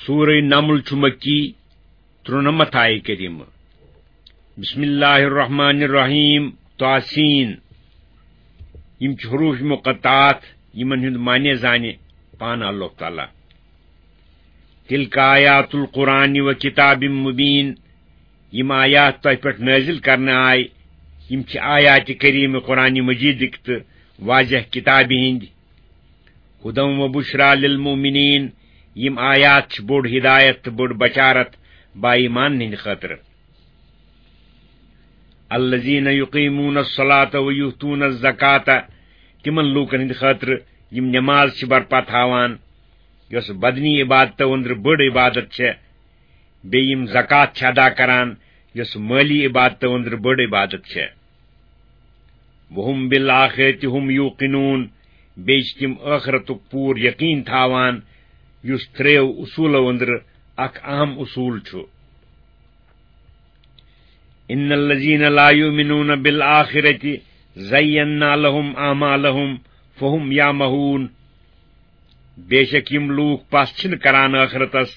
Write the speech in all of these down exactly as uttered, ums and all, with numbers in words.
سورہ نمل چھُ مکی، ترُنَمتھ آیہِ کریمہ۔ بسم اللہ الرحمن الرحیم، طاسین۔ یِم چھِ حروف مقطعات، یِمن ہُنٛد معنی زانہِ پانہٕ اللہ تعالیٰ۔ تلک آیات القرآن و کتاب مبین، یِم آیات تۄہہِ پٮ۪ٹھ نٲزِل کرنہٕ آے، یِم چھِ آیات کریمہ قرآن مجیدٕکۍ تہٕ واضح کتابہِ ہٕنٛدۍ۔ ہدی و بشری للمؤمنین، یِم آیات چھِ بوٚڑ ہدایت تہٕ بٔڑ بشارت با ایمانن ہٕنٛدِ خٲطرٕ۔ الذین یقیمون الصلاۃ و یؤتون الزکاۃ، تِمن لوٗکن ہٕنٛدِ خٲطرٕ یِم نماز چھِ برپا تھاوان، یۄس بدنی عبادتو أنٛدرٕ بٔڑ عبادت چھےٚ، بیٚیہِ یِم زکوٰۃ چھِ ادا کران، یۄس مٲلی عبادتو أنٛدرٕ بٔڑ عبادت چھےٚ۔ وَهُمْ بِالْآخِرَةِ هُمْ يُوقِنُونَ، بیٚیہِ چھِ تِم ٲخرتُک پوٗرٕ یقیٖن تھاوان، یُس ترٛیٚیو اصوٗلو أنٛدرٕ اکھ اہم اصوٗل چھُ۔ إِنَّ الَّذِينَ لَا يُؤْمِنُونَ بِالْآخِرَةِ زَيَّنَّا لَهُمْ أَعْمَالَهُمْ فَهُمْ يَعْمَهُونَ، بے شک یِم لوٗکھ پَژھ چھِنہٕ کران ٲخرتس،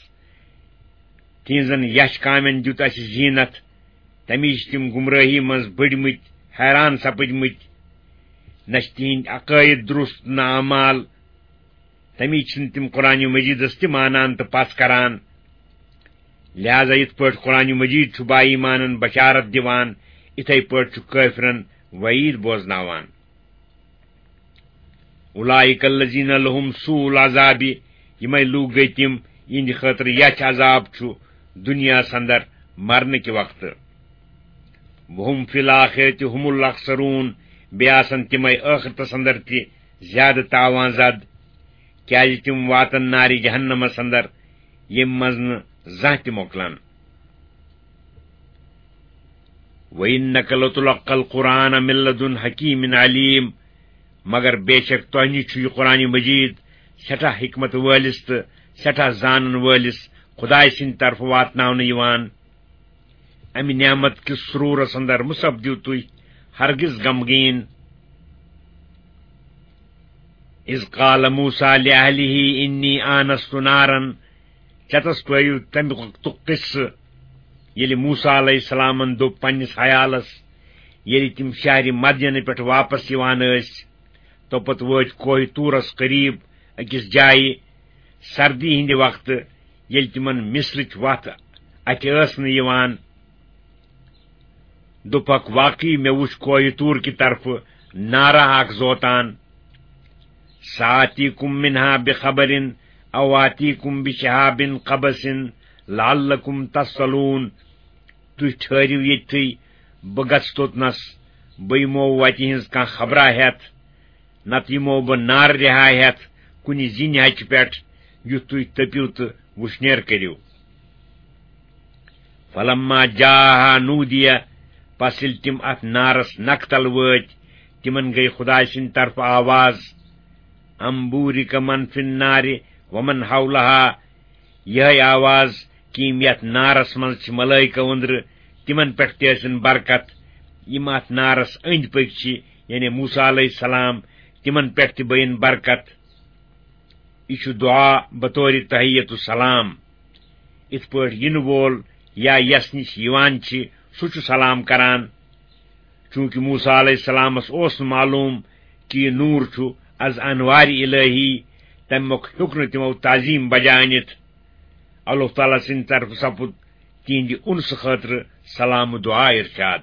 تِہنٛزن یچھ کامٮ۪ن دیُت اَسہِ زیٖنت، تَمی چھِ تِم گمرٲہی منٛز بٔڑمٕتۍ، حیران سپٕدمٕتۍ۔ نہ چھِ تِہنٛدۍ عقٲید درست، نہ اعمال، تَمی چھِنہٕ تِم قرآن مجیدس تہِ مانان تہٕ پَژھ کران۔ لہذا یِتھ پٲٹھۍ قرآن مجید چھُ با ایمانن بشارت دِوان، اِتھے پٲٹھۍ چھُ کٲفرن وعید بوزناوان۔ اولئک الذین لہم سوء العذاب، یِمے لوٗکھ گٔے تِم، یِہنٛدِ خٲطرٕ یَتھ عذاب چھُ دُنیاہَس اندر مرنہٕ کہِ وقتہٕ۔ وہم فی الآخرۃ ہم الاخسرون، بیٚیہِ آسن تِمے ٲخرتس اندر تہِ زیادٕ تاوان زد، کیازِ تِم واتن نارِ جہنمس اندر، ییٚمہِ منٛز نہٕ زانٛہہ تہِ مۄکلن۔ وَإِنَّكَ لَتُلَقَّى الْقُرْآنَ مِنْ لَدُنْ حَكِيمٍ عَلِيمٍ، مگر بے شک تۄہہِ نِش چھُ یہِ قرآن مجید سٮ۪ٹھاہ حکمت وٲلِس تہٕ سٮ۪ٹھاہ زانن وٲلِس خدایہِ سٕنٛدِ طرفہٕ واتناونہٕ یِوان۔ اَمہِ نعمت کِس سرورس اندر مہ سپدِو تُہۍ ہرگز غمگیٖن۔ اذ قال موسیٰ لأہلہ انی آنست نارا، چتس پٲیِو تمہِ وقتُک قصہٕ، ییٚلہِ موسیٰ علیہ السلامن دوٚپ پننِس عیالس، ییٚلہِ تِم شہرِ مدینہٕ پٮ۪ٹھ واپس یِوان ٲسۍ، توپتہٕ وٲتۍ کوہِ طورس قریب أکِس جایہِ، سردی ہٕنٛدِ وقتہٕ، ییٚلہِ تِمن مصرٕچ وتھ اتھِ ٲس نہٕ یِوان۔ دوٚپکھ، واقعی مےٚ وُچھ کوہِ طور کہِ طرفہٕ نارا اکھ زوتان۔ سآتیکم منہا بخبر او آتیکم بشہاب قبس لعلکم تصطلون۔ تُہۍ ٹھٔہرِو ییٚتھٕے، بہٕ گژھٕ توٚتنس، بہٕ یِمو وتہِ ہٕنٛز کانٛہہ خبرا ہٮ۪تھ۔ نتہٕ یِمو بہٕ نارٕ رِہا ہٮ۪تھ کُنہِ زِنہِ ہچہِ پٮ۪ٹھ، یُتھ تُہۍ تٔپِو تہٕ وُشنیر کٔرِو۔ فلما جاءها نودی، پس ییٚلہِ تِم اتھ نارس نکھ تل وٲتۍ، تِمن گٔے خدایہِ سٕنٛدِ طرفہٕ آواز، ان بورک من فی النار ومن حولها، یِہے آواز کہِ یِم یتھ نارس منٛز چھِ ملائکہ أنٛدرٕ، تِمن پٮ۪ٹھ تہِ ٲسِن برکت، یِم اتھ نارس أنٛدۍ پٔکۍ چھِ، یعنی موسیٰ علیہ السلام، تِمن پٮ۪ٹھ تہِ بٔیِن برکت۔ یہِ چھُ دعا بطور تحیت السلام۔ یِتھ پٲٹھۍ یِنہٕ وول یا یس نِش یِوان چھِ، سُہ چھُ سلام کران۔ چونکہ موسیٰ علیہ السلامس اوس نہٕ معلوم کہِ یہِ نوٗر چھُ از انوارِ الہی، تمہِ مۄکھ ہیوٚک نہٕ تِمو تعظیم بجا أنِتھ۔ اللہ تعالیٰ سٕنٛدِ طرفہٕ سپُد تِہنٛدِ اُنسہٕ خٲطرٕ سلام و دعا ارشاد۔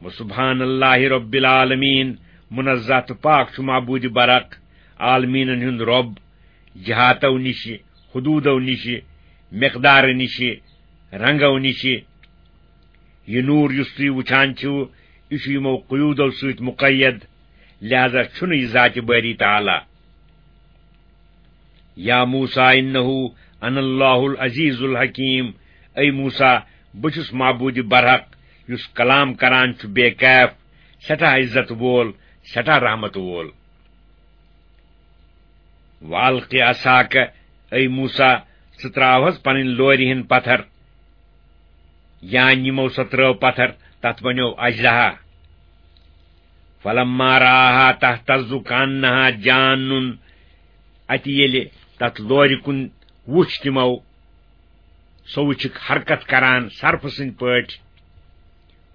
وسبحان اللہ رب العالمین، منزہ تہٕ پاک چھُ معبود برحق، عالمیٖنن ہُنٛد رب، جہاتو نِشہِ، حدوٗدو نِشہِ، مقدارٕ نِشہِ، رنگو نِشہِ۔ یہِ نوٗر یُس تُہۍ وُچھان چھِو، یہِ چھُ یِمو قیوٗدو سۭتۍ مقید، لہذا چھُنہٕ یہِ ذاتِ باری تعالیٰ۔ یا موسیٰ انہ انا اللہ العزیز الحکیم، اے موسیٰ، بہٕ چھُس معبود برحق، یُس کلام کران چھُ بے کیف، سٮ۪ٹھاہ عزت وول، سٮ۪ٹھاہ رحمت وول۔ والق عصاک، اے موسیٰ، ژٕ تراو حظ پنٕنۍ لورِ ہٕنٛدۍ پتھر۔ یا نِمو سۄ ترٲو پتھر، تتھ بنیو اژدہا۔ فلما رآها تهتز كأنها جان، اتہِ ییٚلہِ تتھ لورِ کُن وُچھ تِمو، سُہ وُچھِکھ حرکت کران صرفہٕ سٕنٛدۍ پٲٹھۍ۔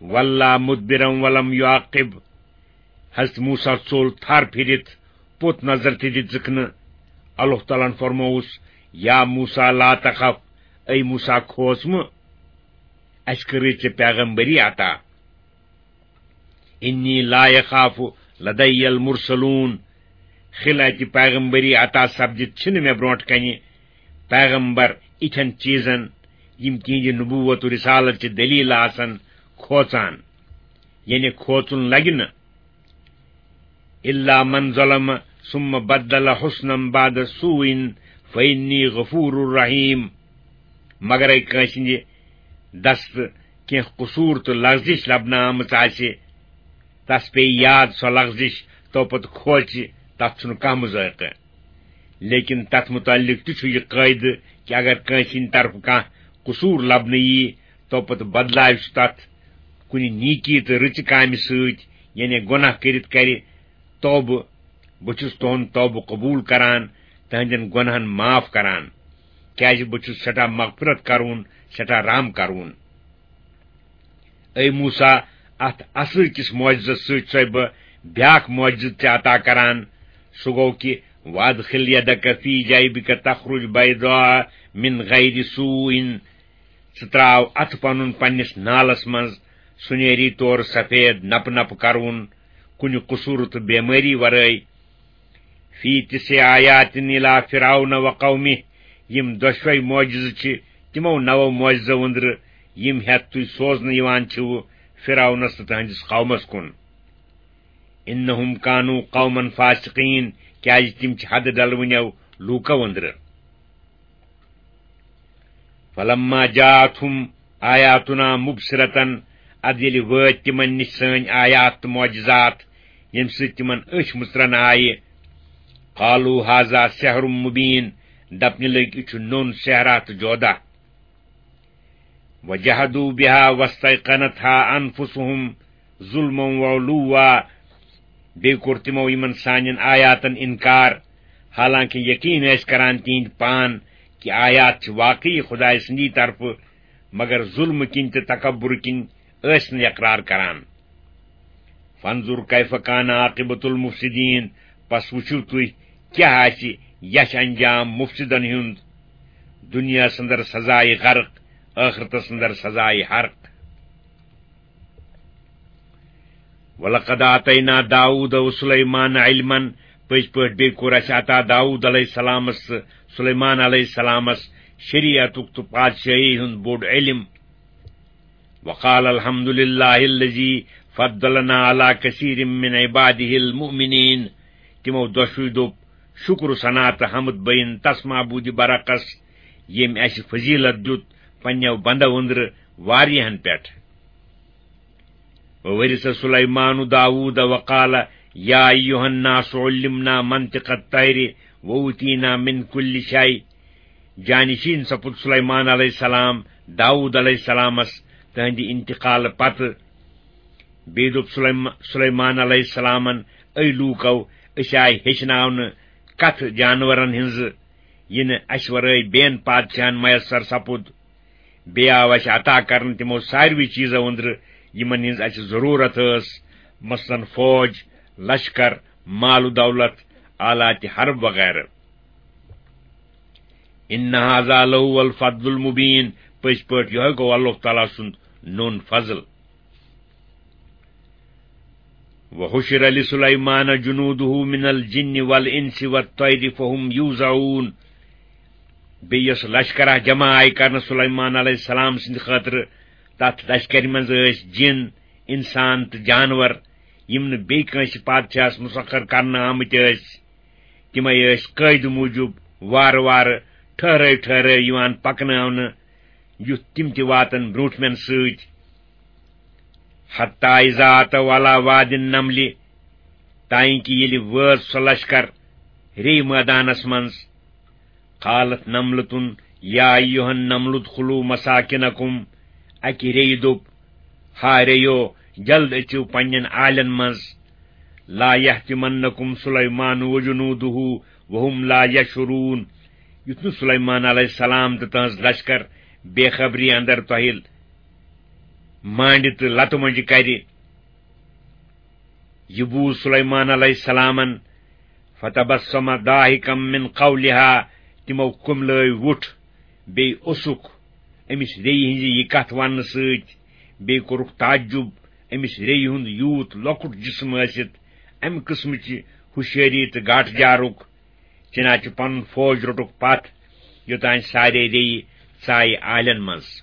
ولّا مدبرا ولم یعقب، حضرت موسیٰ ژوٚل تھر پھِرِتھ، پوٚت نظر تہِ دِژٕکھ نہٕ۔ اللہ تعالیٰ ہن فرمووُس، یا موسیٰ لا تخف، اے موسیٰ کھوژ مہٕ، اسہِ کٔرٕے ژےٚ پیغمبری عطا۔ انی لا یخاف لدی المرسلون، خلعتِ پیغمبری عطا سپدِتھ چھِنہٕ مےٚ برونٛٹھ کنہِ پیغمبر اِتھٮ۪ن چیٖزن، یِم تِہنٛدِ نبوت و رسالت چہِ دلیل آسن، کھوژان، یعنی کھوژُن لگہِ نہٕ۔ الا من ظلم ثم بدل حسنا بعد سوء فانی غفور رحیم۔ مگرے کٲنٛسہِ ہٕنٛدِ دستہٕ کینٛہہ قصوٗر تہٕ لغزش لبنہٕ آمٕژ آسہِ، تس پیٚیہِ یاد سۄ لغزش، تو پتہٕ کھوژِ، تتھ چھُنہٕ کانٛہہ مذائقہٕ۔ لیکن تتھ متعلق تہِ چھُ یہِ قٲعدٕ کہِ اگر کٲنٛسہِ ہٕنٛدِ طرفہٕ کانٛہہ قصوٗر لبنہٕ ییہِ، تو پتہٕ بدلاوِ سُہ تتھ کُنہِ نیکی تہٕ رٕژِ کامہِ سۭتۍ، یعنی گۄناہ کٔرِتھ کرِ توبہٕ، بہٕ چھُس تُہُنٛد توبہٕ قبوٗل کران، تُہنٛدٮ۪ن گۄناہن معاف کران، کیازِ بہٕ چھُس سٮ۪ٹھاہ مغفرت کرون، سٮ۪ٹھاہ رحم کرون۔ اے موسیٰ، اتھ اصل کِس معجزس سۭتۍ چھُسے بہٕ بیاکھ معجزٕ تہِ عطا کران، سُہ گوٚو کہِ وادخل یدک فی جیبک تخرج بیضاء من غیر سوء، ژٕ ترٛاو اَتھٕ پنُن پننِس نالس منٛز، سُہ نیری تورٕ سفید نپہٕ نپہٕ کرُن، کُنہِ قصوٗرٕ تہٕ بیمٲری ورٲے۔ فی تسع آیات الی فرعون و قومہ، یِم دۄشوے معجزٕ چھِ تِمو نَوو معجزو أنٛدرٕ، یِم ہٮ۪تھ تُہۍ سوزنہٕ یِوان چھِو فرعونس تہٕ تہنٛدِس قومس کُن۔ انہم کانوا قوما فاسقین، کیازِ تِم چھِ حدٕ ڈلوٕنیو لوٗکو أنٛدرٕ۔ فلما جاءتهم آیاتنا مبصرة، ادٕ ییٚلہِ وٲتۍ تِمن نِش سٲنۍ آیات تہٕ معجزات، ییٚمہِ سۭتۍ تِمن أچھ مُژرن آیہِ، قالوا هذا سحر مبین، دپنہِ لٔگۍ، یہِ چھُ نوٚن سحرا تہٕ جودا۔ وجحدوا بها واستيقنتها انفسهم ظلما وعلوا، بیٚیہِ کوٚر تِمو یِمن سانٮ۪ن آیاتن انکار، حالانکہ یقین ٲسۍ کران تِہنٛدۍ پان کہِ آیات چھِ واقعی خدایہِ سٕنٛدی طرفہٕ، مگر ظلمہٕ کِنۍ تہٕ تکبر کِنۍ ٲسۍ نہٕ اقرار کران۔ فانظر کیف کان عاقبۃ المفسدین، پس وٕچھِو تُہۍ کیٛاہ آسہِ یَچھ انجام مفسدن ہُنٛد، دُنیاہس اندر سزائے غرق، ٲخرتس اندر سزائے حرق۔ وَلَقَدْ آتَيْنَا دَاوُودَ وَسُلَيْمَانَ عِلْمًا، پٔزۍ پٲٹھۍ بیٚیہِ کوٚر اَسہِ عطا داوود علیہ السلامس تہٕ سلیمان علیہ السلامس شریعتُک تہٕ پادشاہی ہُنٛد بوٚڑ علم۔ وَقَالَ الْحَمْدُ لِلَّهِ الَّذِي فَضَّلَنَا عَلَى كَثِيرٍ مِّنْ عِبَادِهِ الْمُؤْمِنِينَ۔ تِمو دۄشوٕے دوٚپ، شُکر و ثنا تہٕ حمد بٔیِن تس معبوٗدِ برحقس، ییٚمۍ اَسہِ فضیلت دیُت پننیو بندو أنٛدرٕ واریاہن پٮ۪ٹھ۔ وورث سلیمان داوود وقال، یا ایھا الناس علمنا منطق الطیر وأوتینا من کل شیء۔ جانشین سپُد سلیمان علیہ السلام داوود علیہ السلامس تہنٛدِ انتقال پتہٕ۔ بیٚیہِ دوٚپ سلیم-، سلیمان علیہ السلامن، اے لوٗکو، أسۍ آے ہیٚچھناونہٕ کتھٕ جانورن ہٕنٛزٕ، یہِ نہٕ اسہِ ورٲے بیٚین پادشاہن میسر سپُد۔ بیٚیہِ آو اسہِ عطا کرنہٕ تِمو ساروٕے چیٖزو أنٛدرٕ، یِمن ہٕنٛز اسہِ ضروٗرت ٲس، مثلاً فوج، لشکر، مال و دولت، آلات حرب وغیرہ۔ ان ھذا لھو الفضل المبین، پٔزۍ پٲٹھۍ یِہوٚے گوٚو اللہ تعالیٰ سُنٛد نوٚن فضل۔ وحشر لسلیمان جنودہ من الجن والانس والطیر فہم یوزعون۔ بیٚیہِ یۄس لشکرہ جمع آیہِ کرنہٕ سلیمان علیہ السلام سٕنٛدِ خٲطرٕ، تتھ لشکرِ منٛز ٲسۍ جِن، انسان تہٕ جانور، یِم نہٕ بیٚیہِ کٲنٛسہِ پادشاہس مسخر کرنہٕ آمٕتۍ ٲسۍ۔ تِمے ٲسۍ قٲعدٕ موٗجوٗب وارٕ وارٕ، ٹھٔہرٲے ٹھٔہرٲے یِوان پکناونہٕ، یُتھ تِم تہِ واتن برٛونٛٹھمٮ۪ن سۭتۍ۔ حتی اذا اتوا علی وادی النمل، تانۍ کہِ ییٚلہِ وٲژ سۄ لشکر ریٚیہِ مٲدانس منٛز، قالت نملة یا ایھا النمل ادخلوا مساکنکم، اکہِ ریٚیہِ دوٚپ، ہا ریٚیو، جلد أژِو پننٮ۪ن آلٮ۪ن منٛز۔ لا یحطمنکم سلیمان وجنودہ وہم لا یشعرون، یُتھ نہٕ سلیمان علیہ السلام تہٕ تہنٛز لشکر بے خبری اندر تۄہہِ مانڈِ تہٕ لتہٕ مۄنجہِ کرِ۔ یہِ بوٗز سلیمان علیہ السلامن، فتبسم ضاحکا من قولها، تِمو کُملٲوۍ وُٹھ، بیٚیہِ اوسُکھ أمِس ریٚیہِ ہٕنٛزِ یہِ کتھ وننہٕ سۭتۍ، بیٚیہِ کوٚرُکھ تعجب، أمِس ریٚیہِ ہُنٛد یوٗت لۄکُٹ جسم ٲسِتھ، امہِ قٕسمٕچہِ ہُشیٲری تہٕ گاٹہٕ جارُک۔ چنانچہ پنُن فوج روٚٹُکھ پتھ، یوٚتانۍ سارے ریٚیہِ ژایہِ آلٮ۪ن منٛز۔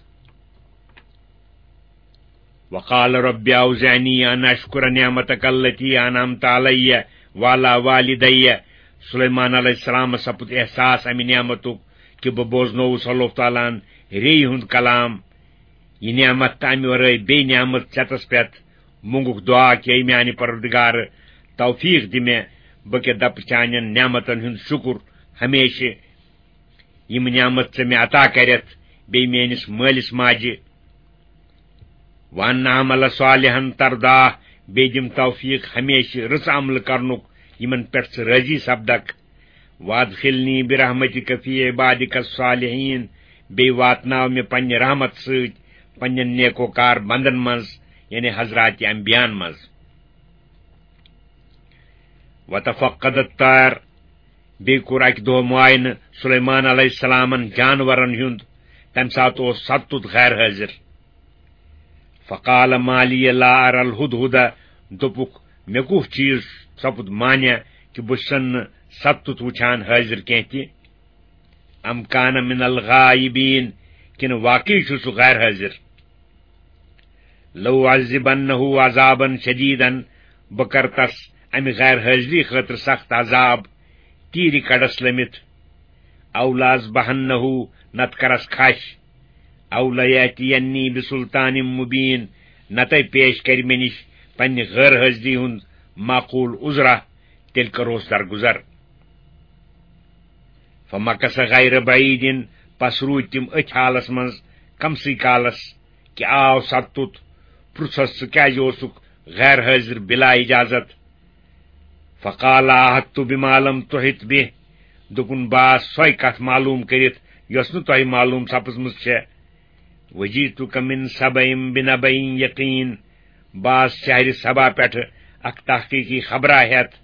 وقال رب اوزعنی ان اشکر نعمتک التی انعمت علی وعلی والدی۔ سلیمان علیہ السلامس سپُد احساس امہِ نعمتُک کہ بہٕ بوزنووُس اللہ تعالیٰ ہن ریٚیہِ ہُنٛد کلام۔ یہِ نعمت تہٕ امہِ ورٲے بیٚیہِ نعمت ژٮ۪تس پٮ۪تھ۔ مونگُکھ دعا کہ اے میانہِ پروردگار، توفیق دِ مےٚ، بہٕ کیٛاہ دپہٕ چانٮ۪ن نعمتن ہُنٛد شُکر ہمیشہِ، یِم نعمت ژےٚ مےٚ عطا کرٮ۪تھ، بیٚیہِ میٲنِس مٲلِس ماجہِ۔ وان اعمل صالحا ترضاه، بیٚیہِ دِم توفیق ہمیشہِ رٕژ عملہٕ کرنُک، یِمن پٮ۪ٹھ ژٕ رٲضی سپدکھ۔ وادخلنی برحمتک فی عبادک الصالحین، بیٚیہِ واتناو مےٚ پننہِ رحمت سۭتۍ پننٮ۪ن نیکوکار بندن منٛز، یعنی حضرات انبیاءن منٛز۔ وتفقد الطیر، بیٚیہِ کوٚر اکہِ دۄہ معاینہٕ سلیمان علیہ السلامن جانورن ہُنٛد، تمہِ ساتہٕ اوس ستُت غیر حٲضِر۔ فقال ما لی لا ارى الهدهد، دوٚپُکھ، مےٚ کُس چیٖز سپُد مانع کہِ بہٕ چھُسن نہٕ ستُت وٕچھان حٲضِر کینٛہہ تہِ؟ ام کان من الغائبین، کِنہٕ واقعی چھُ سُہ غیر حٲضِر؟ لو عذبنه عذابا شدیدا، بہٕ کرٕ تس امہِ غیر حٲضری خٲطرٕ سخت عذاب، تیٖرِ کڑس لٔمِتھ۔ او لاذبحنه، نتہٕ کرس کھش۔ او لیاتینی بسلطان مبین، نتہٕ پیش کرِ مےٚ نِش پننہِ غٲر حٲضری ہُنٛد معقول عذرا، تیٚلہِ کروس درگُزر۔ فمکث غیر بعید، پس روٗدۍ تِم أتھۍ حالس منٛز کمسٕے کالس کہِ آو ستُت، پرُژھس، ژٕ کیازِ اوسُکھ غیر حٲضِر بلا اجازت؟ فقال احطت بما لم تحط به، دوٚپُن، بہٕ آس سۄے کتھ معلوم کٔرِتھ یۄس نہٕ تۄہہِ معلوم سپٕزمٕژ چھےٚ۔ وجئتک من سبأ بنبأ یقین، بہٕ آس شہرِ سبا پٮ۪ٹھٕ اکھ تحقیقی خبرا ہٮ۪تھ۔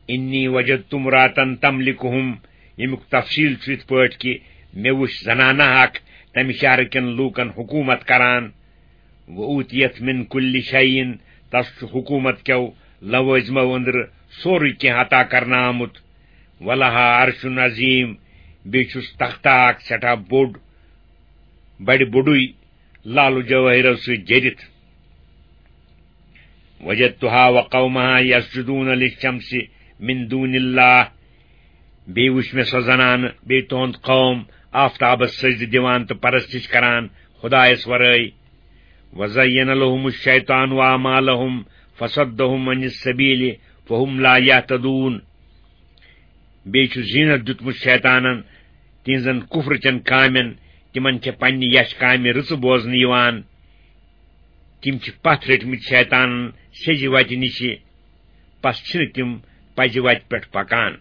انی وجدت امرأة تملکہم، ییٚمیُک تفصیل چھُ یِتھ پٲٹھۍ کہِ مےٚ وُچھ زنانہ اکھ تمہِ شہرٕ کٮ۪ن لوٗکن حکوٗمت کران۔ وأوتیت من کل شیء، تس چھُ حکوٗمت کیو لوٲزمو أنٛدرٕ سورُے کینٛہہ عطا کرنہٕ آمُت۔ ولها عرش عظیم، بیٚیہِ چھُس تختہ اکھ سٮ۪ٹھاہ بوٚڑ، بڑِ بوٚڑُے لالہٕ جوٲہِرو سۭتۍ جٔرِتھ۔ وجدتها وقومها یسجدون للشمس من دون اللہ، بیٚیہِ وُچھ مےٚ سۄ زنانہٕ بیٚیہِ تُہُنٛد قوم آفتابس سجدٕ دِوان تہٕ پرستش کران خدایس ورٲے۔ وزین لهم الشیطان اعمالهم فصدهم عن السبیل فهم لا یهتدون۔ بیٚیہِ چھُ زینت دیُتمُت شیطانن تِہنٛزن کفرٕچن کامٮ۪ن، تِمن چھےٚ پننہِ یچھ کامہِ رٕژٕ بوزنہٕ یِوان۔ تِم چھِ پتھ رٔٹمٕتۍ شیطانن سیٚزِ وتہِ نِشہِ، پس چھِنہٕ تِم پزِ وتہِ پٮ۪ٹھ پکان۔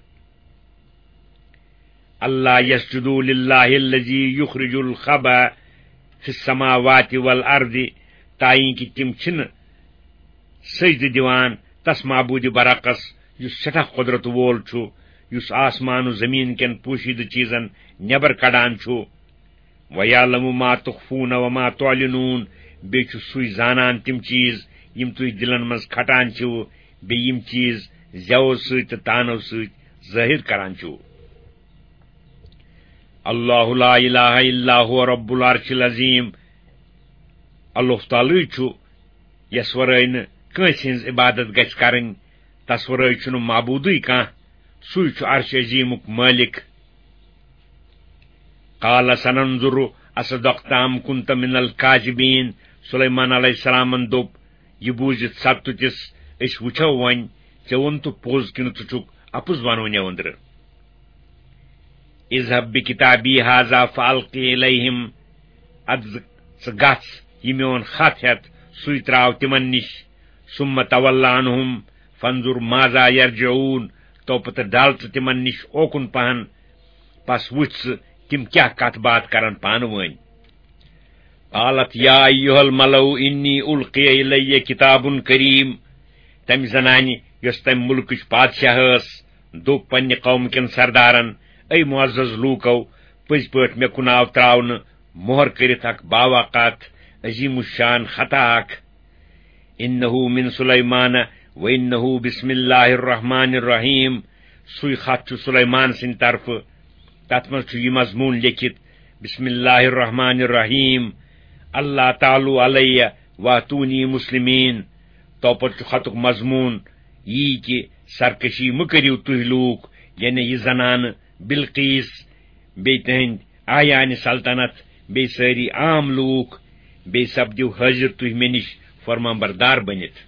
اللہ یسجدوا للہ الذی یخرج الخبأ فی السماوات والارض، تائیں کہ تِم چھِنہٕ سجدٕ دِوان تس معبود برحقس یُس سٮ۪ٹھاہ قۄدرت وول چھُ، یُس آسمان و زمین کٮ۪ن پوشیدٕ چیزن نٮ۪بر کڑان چھُ۔ وَيَعْلَمُ مَا تُخْفُونَ وَمَا تُعْلِنُونَ، بیٚیہِ چھُ سُے زانان تِم چیز یِم تُہۍ دِلن منٛز کھٹان چھِو، بیٚیہِ یِم چیز زیو سۭتۍ تہٕ تانو سۭتۍ ظٲہِر کران چھِو۔ اللہ لا الہ الا هو رب العرش العظیم۔ اللہ تعالیٰ چھُ، یس ورٲے نہٕ کٲنٛسہِ ہٕنٛز عبادت گژھِ کرٕنۍ، تس ورٲے چھُنہٕ معبوٗدٕے کانٛہہ، سُے چھُ عرش عظیمُک مٲلِک۔ قال سننظر اصدقت ام كنت من الكاذبين۔ سلیمان علیہ السلامن دوٚپ، یہِ بوٗزِتھ ستُتِس، أسۍ وٕچھو وۄنۍ، ژےٚ ووٚنتہٕ پوٚز کِنہٕ ژٕ چھُکھ اَپُز ونوٕنۍ أنٛدرٕ۔ اذهب بكتابي هذا فألقه إليهم، ادٕ ژٕ گژھ یہِ میون خط ہٮ۪تھ، سُے تراو تِمن نِش۔ ثم تول عنهم فانظر ماذا يرجعون، تو پتہٕ ڈل ژٕ تِمن نِش اوکُن پہن، پس وُچھ ژٕ تِم کیٛاہ کتھ باتھ کرن پانہٕ وٲنۍ۔ قالت یا ایھا الملأ انی القی الی کتاب کریم۔ تمہِ زنانہِ، یۄس تمہِ مُلکٕچ پادشاہ ٲس، دوٚپ پننہِ قوم کٮ۪ن سردارن، اے معزز لوٗکو، پٔزۍ پٲٹھۍ مےٚ کُن آو تراونہٕ مۄہر کٔرِتھ اکھ باوا کتھ، عظیم الشان خطا اکھ۔ انہ من سلیمان و انہ بسم اللہ الرحمن الرحیم۔ سُے خط چھُ سلیمان سٕنٛدِ طرفہٕ۔ تتھ منٛز چھُ یہِ مضموٗن لیکھِتھ، بسم اللہ الرحمن الرحیم، اللہ تعالی علیہ واتونی مسلمین۔ توپتہٕ چھُ خطُک مضموٗن یی کہِ سرکشی مہٕ کٔرِو تُہۍ لوٗکھ، یعنی یہِ زنانہٕ بلقیس، بیٚیہِ تِہنٛدۍ اعیانِ سلطنت، بیٚیہِ سٲری عام لوٗکھ، بیٚیہِ سپدِو حٲضِر تُہۍ مےٚ نِش فرمانبردار بٔنِتھ۔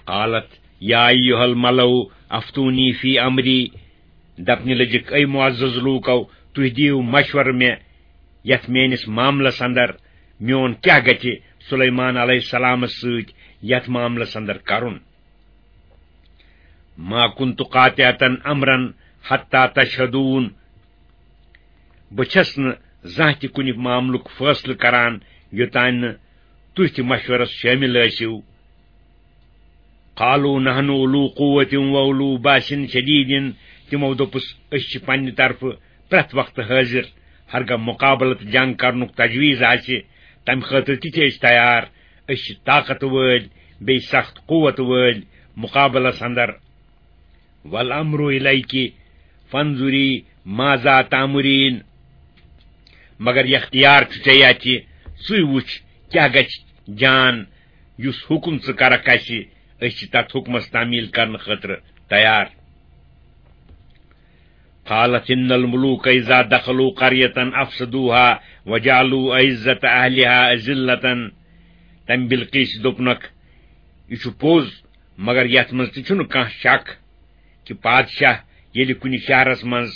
قالت یا ایھا الملأ افتونی فی امری۔ دپنہِ لٔجِکھ، اے معزز لوٗکو، تُہۍ دِیِو مشورٕ مےٚ یتھ میٲنِس معاملس اندر، میون کیٛاہ گژھِ سلیمان علیہ السلامس سۭتۍ یتھ معاملس اندر کرُن؟ ما کنت قاطعة امرا حتی تشہدون۔ بہٕ چھَس نہٕ زانٛہہ تہِ کُنہِ معاملُک فٲصلہٕ کران، یوٚتانۍ نہٕ تُہۍ تہِ مشورس شٲمِل ٲسِو۔ قالوا نحن اولو قوة و اولو باس شدید۔ تِمو دوٚپُس، أسۍ چھِ پننہِ طرفہٕ پرٛٮ۪تھ وقتہٕ حٲضِر، ہرگاہ مُقابلہٕ تہٕ جنگ کرنُک تجویز آسہِ، تمہِ خٲطرٕ تہِ چھِ أسۍ تیار۔ أسۍ چھِ طاقت وٲلۍ، بیٚیہِ سخت قوت وٲلۍ مُقابلس اندر۔ والامر الیک فانظری ماذا تامرین۔ مگر اختیار چھُ ژےٚ اَتھِ، ژٕے وٕچھ کیٛاہ گژھِ جان، یُس حُکم ژٕ کرکھ اَسہِ، أسۍ چھِ تتھ حُکمس تعمیٖل کرنہٕ خٲطرٕ تیار۔ قالت ان الملوک اذا دخلوا قریة افسدوها وجعلوا اعزة اہلها اذلة۔ تمہِ بلقیس دوٚپنکھ، یہِ چھُ پوٚز، مگر یتھ منٛز تہِ چھُنہٕ کانٛہہ شک کہِ پادشاہ ییٚلہِ کُنہِ شہرس منٛز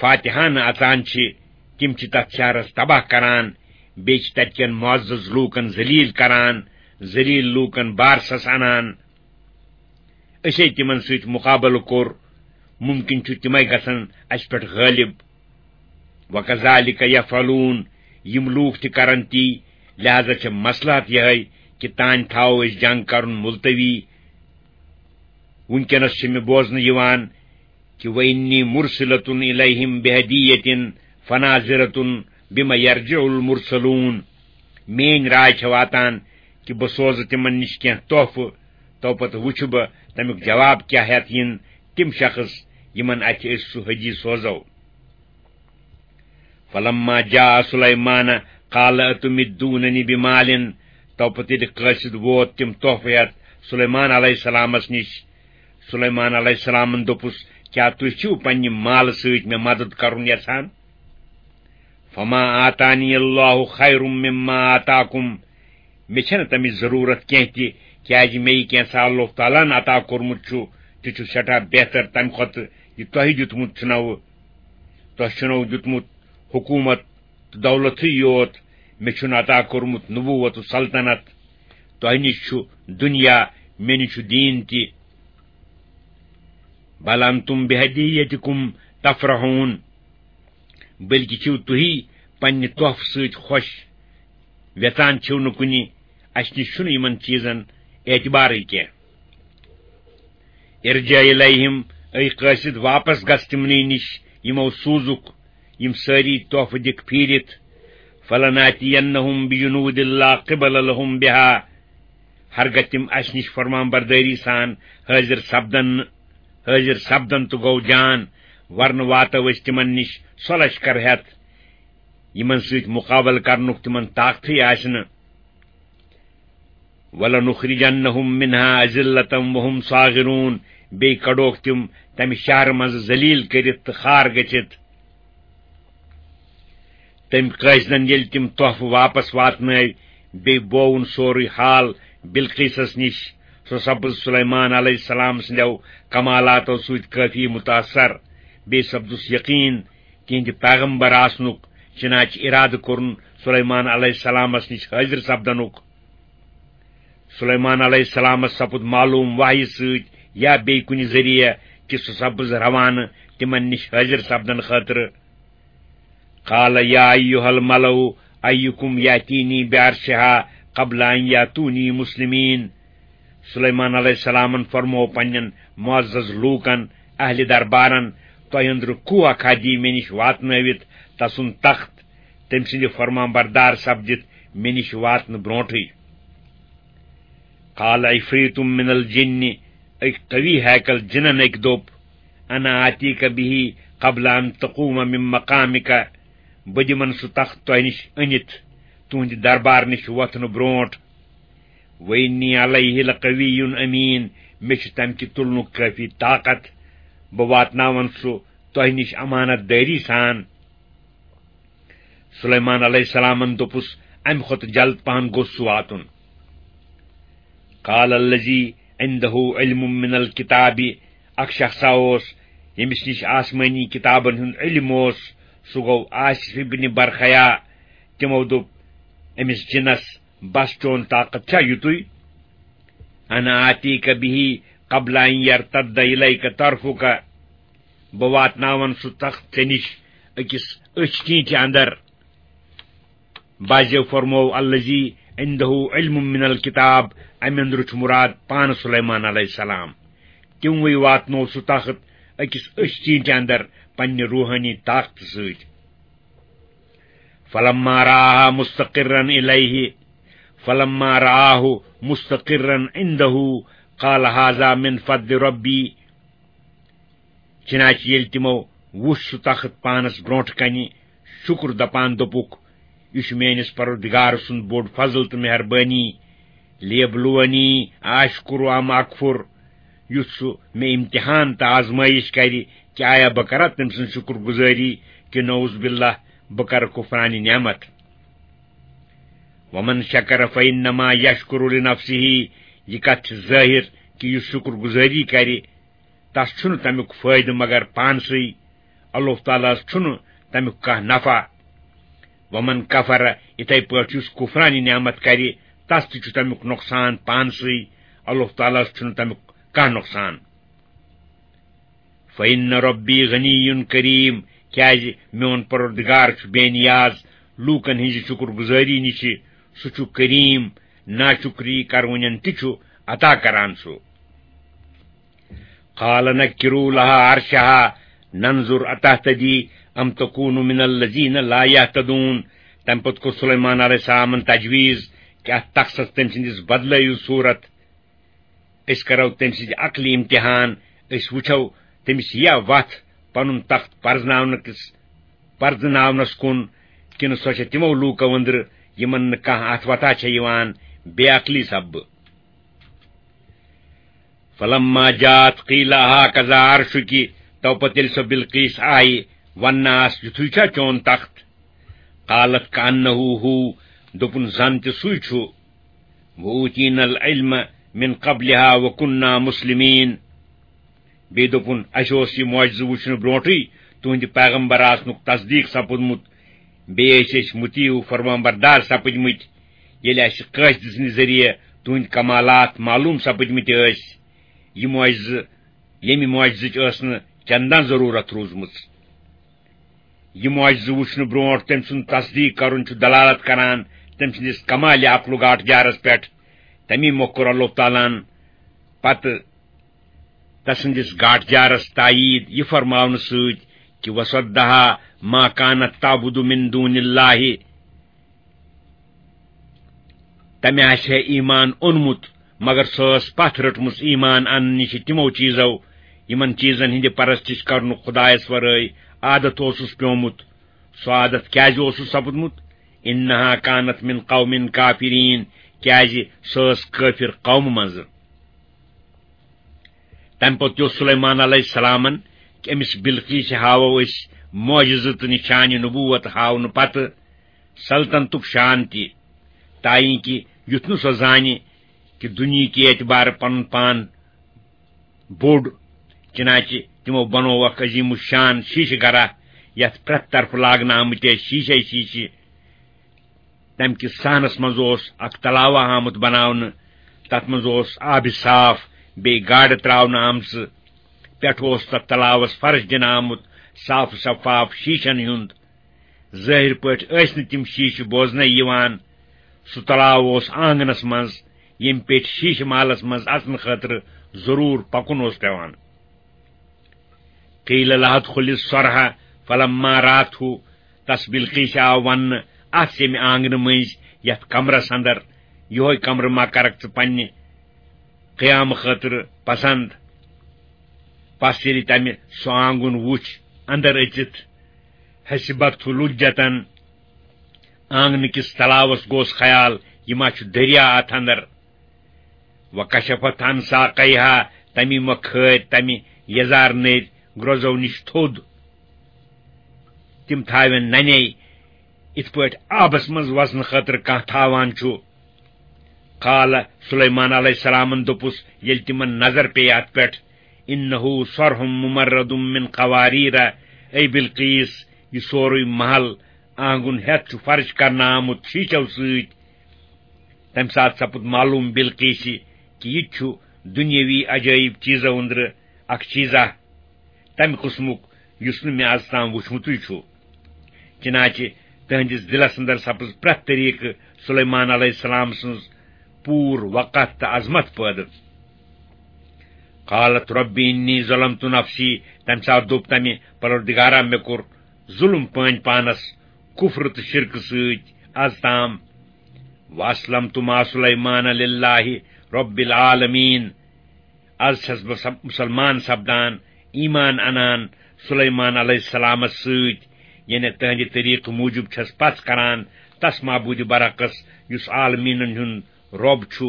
فاتحانہٕ اژان چھِ، تِم چھِ تتھ شہرس تباہ کران، بیٚیہِ چھِ تتہِ کٮ۪ن معزز لوٗکن ذلیل کران، ذلیل لوٗکن بارسس انان۔ أسے تِمن سۭتۍ مُقابلہٕ کوٚر، مُمکِن چھُ تِمے گژھن اَسہِ پٮ۪ٹھ غٲلِب۔ وَكَذَلِكَ يَفْعَلُونَ، یِم لوٗکھ تہِ کرن تی، لہذا چھےٚ مصلحت یِہے کہِ تانۍ تھاوو أسۍ جنگ کرُن ملتوی۔ وُنکیٚنس چھِ مےٚ بوزنہٕ یِوان کہِ وَإِنِّي مُرْسِلَةٌ إِلَيْهِمْ بِهَدِيَّةٍ فَنَاظِرَةٌ بِمَ يَرْجِعُ الْمُرْسَلُونَ۔ میٲنۍ راے چھےٚ واتان کہِ بہٕ سوزٕ تِمن نِش کینٛہہ تحفہٕ، تو پتہٕ وٕچھٕ بہٕ تمیُک جواب کیٛاہ ہٮ۪تھ یِن تِم شخص یِمن اَتھِ أسۍ سُہ حجی سوزو۔ فلما جاء سلیمان قال اتمدوننی بمال، تو پتہٕ ییٚلہِ قٲصد ووت تِم تحفہٕ ہٮ۪تھ سلیمان علیہ السلامس نِش۔ سلیمان علیہ السلامن دوٚپُس، کیٛاہ تُہۍ چھِو پننہِ مالہٕ سۭتۍ مےٚ مدد کرُن یژھان؟ فما آتانی اللہ خیر مما آتاکم، مےٚ چھَنہٕ تَمِچ ضروٗرت کینٛہہ تہِ، کیٛازِ مےٚ یہِ کینٛژھا اللہ تعالیٰ ہن عطا کوٚرمُت چھُ، تہِ چھُ سٮ۪ٹھاہ بہتر تَمہِ کھۄتہٕ یہِ تۄہہِ دیُتمُت چھُنو۔ تۄہہِ چھُنو دیُتمُت حکوٗمت تہٕ دولتٕے یوت، مےٚ چھُنہٕ عطا کوٚرمُت نبوت و سلطنت۔ تۄہہِ نِش چھُ دُنیا، مےٚ نِش چھُ دیٖن تہِ۔ بل انتم بہدیتکم تفرحون، بلکہِ چھِو تُہی پننہِ تحفہٕ سۭتۍ خۄش، ویژان چھِو نہٕ کُنہِ، اَسہِ نِش چھُنہٕ یِمن چیٖزن اعتبارٕے کینٛہہ۔ ارجع الیہم، اے قٲصد، واپس گژھ تِمنٕے نِش، یِمو سوٗزُکھ یِم سٲری تحفہٕ دِکھ پھیٖرِتھ۔ فلناتینہم بجنود لا قبل لہم بہا، ہرگاہ تِم اَسہِ نِش فرمان بردٲری سان حٲضِر سپدن نہٕ، حٲضِر سپدن تہٕ گوٚو جان، ورنہٕ واتو أسۍ تِمن نِش سۄ لشکر ہٮ۪تھ، یِمن سۭتۍ مُقابلہٕ کرنُک تِمن طاقتھٕے آسہِ نہٕ۔ وَلَنُخْرِجَنَّهُمْ مِنْهَا أَذِلَّةً وَهُمْ صَاغِرُونَ، بیٚیہِ کڑوکھ تِم تمہِ شہرٕ منٛزٕ ذلیل کٔرِتھ تہٕ خار گٔژھِتھ۔ تٔمۍ قٲصدن ییٚلہِ تِم تحفہٕ واپس واتنٲوۍ، بیٚیہِ بووُن سورُے حال بلقیسس نِش۔ سُہ سپُز سلیمان علیہ السلام سٕنٛدیو کمالاتو سۭتۍ کٲفی متاثر۔ بیٚیہِ سپدُس یقین تِہنٛدِ پیغمبر آسنُک، چنانچہ ارادٕ کوٚرُن سلیمان علیہ السلامس نِش حٲضِر سپدنُک۔ سلیمان علیہ السلامس سپُد معلوم وحی سۭتۍ یا بیٚیہِ کُنہِ ذٔریعہٕ کہِ سُہ سپُز روانہٕ تِمن نِش حٲضِر سپدن خٲطرٕ۔ قال یا ایھا الملأ ایکم یأتینی بعرشہا قبل ان یأتونی مسلمین۔ سلیمان علیہ السلامن فرموو پننٮ۪ن معزز لوٗکن، اہلِ دربارن، تۄہہِ أنٛدرٕ کُس اکھ دی مےٚ نِش واتنٲوِتھ تسُنٛد تخت، تٔمۍ سٕنٛدِ فرمان بردار سپدِتھ مےٚ نِش واتنہٕ برونٹھٕے؟ قال عفریت من الجن، أکۍ قوی ہیکل جِنن أکۍ دوٚپ، انا آتیک به قبل ان تقوم من مقامک، بہٕ دِمن سُہ تخت تۄہہِ نِش أنِتھ تُہنٛدِ دربار نِش وۄتھنہٕ برونٹھ۔ وانی علیہ لقوی امین، مےٚ چھُ تمہِ کہِ تُلنُک کٲفی طاقت، بہٕ واتناون سُہ تۄہہِ نِش امانت دٲری سان۔ سلیمان علیہ السلامن دوٚپُس، امہِ کھۄتہٕ جلد پہن گوٚژھ سُہ واتُن۔ قال الذی عندہ علم من الکتاب، اکھ شخصا اوس ییٚمِس نِش آسمٲنی کتابن ہُنٛد علم اوس، سُہ گوٚو آصف ابن برخیا۔ تِمو دوٚپ أمِس جِنس، بس چون طاقت چھا یُتُے؟ انا آتیک به قبل ان یرتد الیک طرفک، بہٕ واتناون سُہ تخت ژےٚ نِش أکِس أچھ ٹیٖنٛٹہِ اندر۔ بعضیو فرموو الذی عندہ علم من الکتاب، امہِ اندرٕ چھُ مراد پانہٕ سلیمان علیہ السلام۔ تِموٕے واتنوو سُہ تخت أکِس أچھ ٹیٖنٛٹہِ اندر پننہِ روحٲنی طاقتہٕ سۭتۍ۔ فلما رآہ مستقرا الیہ، فلما رآہ مستقرا عندہ، قال ھذا من فضل ربی۔ چنانچہ ییٚلہِ تِمو وُچھ سُہ تخت پانس برونٹھ کنہِ، شُکر دپان دوٚپُکھ، یہِ چھُ میٲنِس پروردگار سُنٛد بوٚڑ فضل تہٕ مہربٲنی۔ لیبلونی آشکر ام اکفر، یُتھ سُہ مےٚ امتحان تہٕ آزمٲیش کرِ کہِ آیا بہٕ کرا تٔمۍ سٕنٛز شُکر گُزٲری کہِ نعوذ باللہ بہٕ کرٕ کفرانِ نعمت۔ ومن شکر فانما یشکر لنفسہ، یہِ کتھ چھِ ظٲہر کہِ یُس شُکر گُزٲری کرِ، تس چھُنہٕ تمیُک فٲیدٕ مگر پانسٕے، اللہ تعالیٰ ہس چھُنہٕ تمیُک کانٛہہ نفع۔ ومن کفر، یِتھے پٲٹھۍ یُس کفرانِ نعمت کرِ، تس تہِ چھُ تمیُک نۄقصان پانسٕے، اللہ تعالیٰ ہس چھُنہٕ تمیُک کانٛہہ نۄقصان۔ فإن ربی غنی کریم، کیازِ میون پروردگار چھُ بے نیاز لوٗکن ہٕنزِ شُکر گُزٲری نِشہِ، سُہ چھُ کریم، ناشُکری کرونٮ۪ن تہِ چھُ عطا کران سُہ۔ قال نکروا لها عرشها ننظر أتهتدي أم تكون من الذين لا يهتدون۔ تمہِ پتہٕ کوٚر سلیمان علیہ السلامن تجویز کہِ اتھ تخصس تٔمۍ سٕنٛدِس بدلٲیِو صوٗرت۔ أسۍ کرو تٔمۍ سٕنٛزِ عقلہِ امتحان، أسۍ وٕچھو تٔمِس یِیا وتھ پنُن تخت پرزناونہٕ کِس، پرزناونس کُن، کِنہٕ سۄ چھےٚ تِمو لوٗکو أنٛدرٕ یِمن نہٕ کانٛہہ اتھ وتھا چھےٚ یِوان بے عقلی سببہٕ۔ فلما جاءت قیل اہاکذا عرشکی، تو پتہٕ ییٚلہِ سۄ بلقیس آیہِ، وننہٕ آس، یُتھُے چھا چون تخت؟ قالت کأنہ ہو، دوٚپُن زن تہِ سُے چھُ۔ وأوتینا العلم من قبلها وكنا مسلمين۔ بیٚیہِ دوٚپُن، اَسہِ اوس یہِ معجزٕ وٕچھنہٕ برونٹھٕے تُہنٛدِ پیغمبر آسنُک تصدیق سپُدمُت، بیٚیہِ ٲسۍ أسۍ مطیع و فرمانبردار سپٕدمٕتۍ، ییٚلہِ اَسہِ قٲصدٕ سٕنٛدِ ذٔریعہٕ تُہنٛدۍ کمالات معلوم سپٕدمٕتۍ ٲسۍ۔ یہِ معجزٕ، ییٚمہِ معجزٕچ ٲس نہٕ چندان ضروٗرت روٗزمٕژ۔ یہِ معجزٕ وٕچھنہٕ برونٹھ تٔمۍ سُنٛد تصدیق کرُن چھُ دلالت کران تٔمۍ سٕنٛدِس کمالِ عقل و گاٹھ جارس پٮ۪ٹھ۔ تَمی مۄکھ کوٚر اللہ تعالیٰ ہن پتہٕ تسٕنٛدِس گاٹھ جارس تایید یہِ فرماونہٕ سۭتۍ کہِ وصدها ما كانت تعبد من دون الله۔ تمہِ آسہِ ہے ایمان اونمُت، مگر سۄ ٲس پتھ رٔٹمٕژ ایمان اننہٕ نِش تِمو چیزو، یِمن چیزن ہٕنٛدِ پرستش کرنُک خدایس ورٲے عادت اوسُس پیومُت۔ سُہ عادت کیازِ اوسُس سپُدمُت؟ انها كانت من قوم كافرين، کیازِ سۄ ٲس کٲفر قومہٕ منٛزٕ۔ تمہِ پتہٕ تہِ اوس سلیمان علیہ السلامن کہِ أمِس بلقیس ہاوو أسۍ معجزٕ تہٕ نشانہِ نبوت ہاونہٕ پتہٕ سلطنتُک شان تہِ، تاینکہِ یُتھ نہٕ سۄ زانہِ کہِ دُنیہکہِ اعتبارٕ پنُن پان بوٚڑ، چنانچہ تِمو بنوو اکھ عظیم الشان شیشہٕ گرہ، یتھ پرٛٮ۪تھ طرفہٕ لاگنہٕ آمٕتۍ ٲسۍ شیشے شیشہٕ۔ تمہِ کِس صحنس منٛز اوس اکھ تلاوہ آمُت بناونہٕ، تتھ منٛز اوس آبِ صاف، بیٚیہِ گاڈٕ تراونہٕ آمژٕ۔ پٮ۪ٹھٕ اوس تتھ تلاوس فرش دِنہٕ آمُت، صاف شفاف شیٖشن ہُنٛد۔ ظٲہِر پٲٹھۍ ٲسۍ نہٕ تِم شیٖشہٕ بوزنَے یِوان۔ سُہ تلاو اوس آنگنس منٛز، ییٚمہِ پیٚٹھۍ شیٖشہٕ محلس منٛز اژنہٕ خٲطرٕ ضروٗر پکُن اوس پٮ۪وان۔ قیل لها ادخلی الصرح فلما رأته، تس بلقیس آو وننہٕ، اتھ ییٚمہِ آنگنہٕ مٔنٛزۍ، یتھ کمرس اندر، یِہوے کمرٕ ما کرکھ ژٕ پننہِ قیامہٕ خٲطرٕ پسند؟ پس ییٚلہِ تمہِ سُہ آنگُن وُچھ، اندر أژِتھ، حسبته لجة، آنگنہٕ کِس تلاوس گوس خیال، یہِ ما چھُ دریا اتھ اندر۔ وکشفت عن ساقیها، تمی مۄکھٕ کھٲرۍ تمہِ یزار نٔرۍ گرٛوزو نِش تھوٚد۔ تِم تھاوٮ۪ن ننے، یِتھ پٲٹھۍ آبس منٛز وزنہٕ خٲطرٕ کانٛہہ تھاوان چھُ۔ قال، سلیمان علیہ السلامن دوٚپُس، ییٚلہِ تِمن نظر پیٚیہِ اتھ پٮ۪ٹھ، انه صرح ممرد من قواریر، اے بلقیس، یہِ سورُے محل آنگُن ہٮ۪تھ چھُ فرش کرنہٕ آمُت شیٖشو سۭتۍ۔ تمہِ ساتہٕ سپُد معلوم بلقیسہِ کہِ یہِ تہِ چھُ دُنیٲوی عجٲیب چیٖزو أنٛدرٕ اکھ چیٖزا، تمہِ قٕسمُک یُس نہٕ مےٚ از تام وُچھمُتُے چھُ۔ چنانچہ تہنٛدِس دِلس اندر سپٕز پرٛٮ۪تھ طریٖقہٕ سلیمان علیہ السلام سٕنٛز پوٗر وقت تہٕ عظمت پٲدٕ۔ قالت رب انی ظلمت نفسی، تمہِ ساتہٕ دوٚپ تمہِ، پروردگارا، مےٚ کوٚر ظُلم پٲنۍ پانس کفر تہٕ شرکہٕ سۭتۍ از تام۔ واسلمت مع سلیمان للہ رب العالمین، از چھس بہٕ سب-، مسلمان سپدان، ایمان انان سلیمان علیہ السلامس سۭتۍ، یعنی تہنٛدِ طریٖقہٕ موٗجوٗب چھس پژھ کران تس معبوٗدِ برحقس، یُس عالمیٖنن ہُنٛد رۄب چھُ۔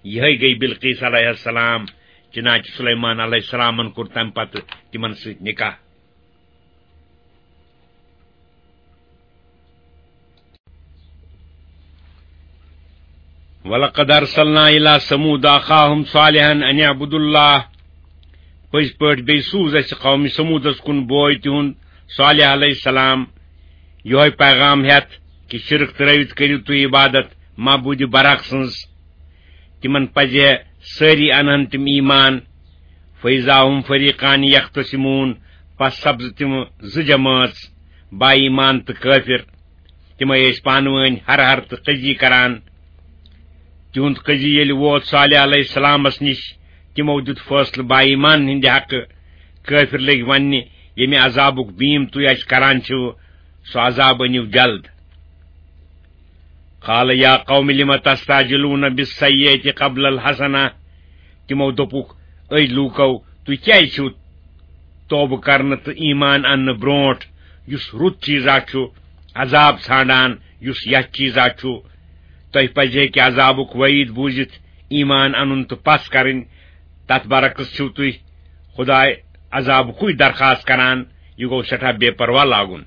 یِہے گٔے بلقیس علیہ السلام، چنانچہ سلیمان علیہ السلامن کوٚر تمہِ پتہٕ تِمن سۭتۍ نکاح۔ ولقد ارسلنا الى ثمود اخاهم صالحا ان اعبدوا الله۔ پٔزۍ پٲٹھۍ بیٚیہِ سوٗز اَسہِ قومِ ثمودس کُن بوے تِہُنٛد صالح علیہ السلام، یِہوے پیغام ہٮ۪تھ کہِ شرک ترٲوِتھ کٔرِو تُہۍ عبادت معبوٗدِ برحق سٕنٛز۔ تِمن پزِ ہے سٲری انہن تِم ایمان۔ فاذا هم فریقان یختصمون، پس سپزٕ تِم زٕ جمٲژ، با ایمان تہٕ کٲفر۔ تِمے ٲسۍ پانہٕ وٲنۍ ہر ہر تہٕ قضی کران۔ تِہُنٛد قضی ییٚلہِ ووت صالح علیہ السلامس نِش، تِمو دیُت فٲصلہٕ با ایمان ہٕنٛدِ حقہٕ۔ کٲفر لٔگۍ وننہِ، ییٚمہِ عذابُک بیٖم تُہۍ اَسہِ کران چھِو، سُہ عذاب أنِو جلد۔ قال یا قوم لم تستعجلون بالسیئة قبل الحسنة۔ تِمو دوٚپُکھ، أے لوٗکو، تُہۍ کیٛازِ چھِو توبہٕ کرنہٕ تہٕ ایمان اننہٕ برونٹھ، یُس رُت چیٖزا چھُ، عذاب ژھانڈان، یُس یتھ چیٖزا چھُ؟ تۄہہِ پزِ ہے کہِ عذابُک وعید بوٗزِتھ ایمان انُن تہٕ پژھ کرٕنۍ۔ تتھ برعکس چھِو تُہۍ خداے عذابُکُے درخواست کران۔ یہِ گوٚو سٮ۪ٹھاہ بے پرواہ لاگُن۔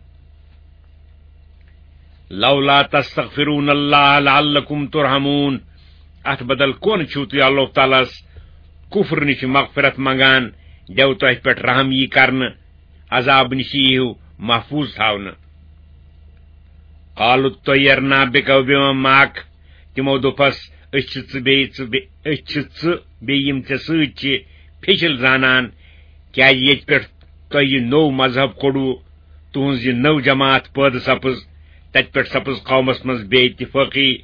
لولا تستغفرون اللہ لعلکم ترحمون۔ اتھ بدل کون چھِو تُہۍ اللہ تعالیٰ ہس کفر نِش مغفرت منگان، دیو تۄہہِ پٮ۪ٹھ رحم یی کرنہٕ، عذاب نِش ییٖہِو محفوظ تھاونہٕ۔ قالوا اطیرنا بک وبمن معک۔ تِمو دوٚپس، أسۍ چھِ ژٕ بیٚیہِ ژٕ بے-، أسۍ چھِ ژٕ بیٚیہِ یِم ژےٚ سۭتۍ چھِ پھیٚچِل زانان، کیازِ ییٚتہِ پٮ۪ٹھ تۄہہِ یہِ نوٚو مذہب کوٚڑوُ، تُہٕنٛز یہِ نٔو جماعت پٲدٕ سپٕز، تتہِ پٮ۪ٹھ سپٕز قومس منٛز بے اتفٲقی،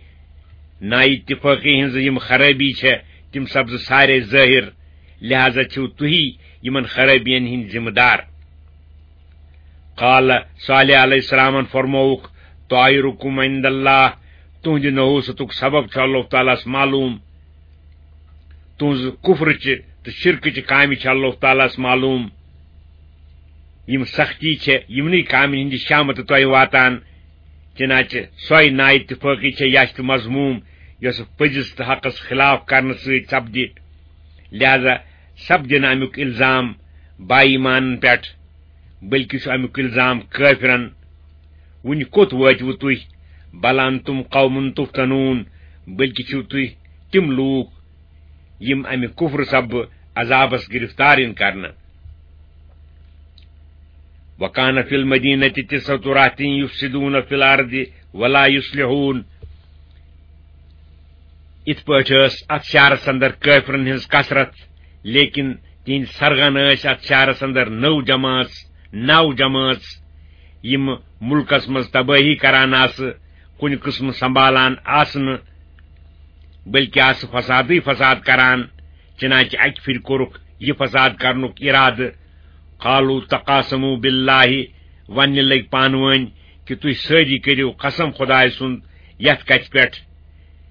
نا اتفٲقی ہٕنٛز یِم خرٲبی چھےٚ، تِم سپزٕ سارے ظٲہِر، لہذا چھِو تُہی یِمن خرٲبین ہٕنٛدۍ ذمہٕ دار۔ قال، صالح علیہ السلامن فرمووُکھ، طائرکم عند اللہ، تُہنٛدِ نحوستُک سبب چھُ اللہ تعالیٰ ہس معلوم۔ تُہنٛز کفرٕچہِ تہٕ شرکٕچہِ کامہِ چھِ اللہ تعالیٰ ہس معلوم۔ یِم سختی چھےٚ یِمنٕے کامٮ۪ن ہٕنٛدِ شامتہٕ تۄہہِ واتان، چنانچہ سۄے نااتفٲقی چھےٚ یش تہٕ مذموم، یۄسہٕ پٔزِس تہٕ حقس خلاف کرنہٕ سۭتۍ سپدِ۔ لہذا سپدِ نہٕ امیُک الزام با ایمانن پٮ۪ٹھ، بلکہ چھُ امیُک الزام کٲفرن۔ وُنہِ کوٚت وٲتِوٕ تُہۍ؟ بل انتم قوم تفتنون، بلکہ چھِو تُہۍ تِم لوٗکھ، یِم امہِ کفر سببہٕ عذابس گرفتار یِن کرنہٕ۔ وکان فی المدینۃ تسعۃ رہطین یفسدون فی الارض ولا یصلحون۔ یِتھ پٲٹھۍ ٲس اتھ شہرس اندر کٲفرن ہٕنٛز کثرت، لیکن تِہنٛدۍ سرغن ٲسۍ اتھ شہرس اندر نٔو جمٲژ، نو جمٲژ، یِم مُلکس منٛز تبٲہی کران آسہٕ، کُنہِ قٕسمہٕ سنبھالان آسہٕ نہٕ، بلکہِ آسہٕ فسادٕے فساد کران۔ چنانچہ اکہِ پھِرِ کوٚرُکھ یہِ فساد کرنُک ارادٕ۔ قالوا تقاسموا باللہ، وننہِ لٔگۍ پانہٕ وٲنۍ کہِ تُہۍ سٲری کٔرِو قسم خدایہِ سُنٛد یتھ کتھِ پٮ۪ٹھ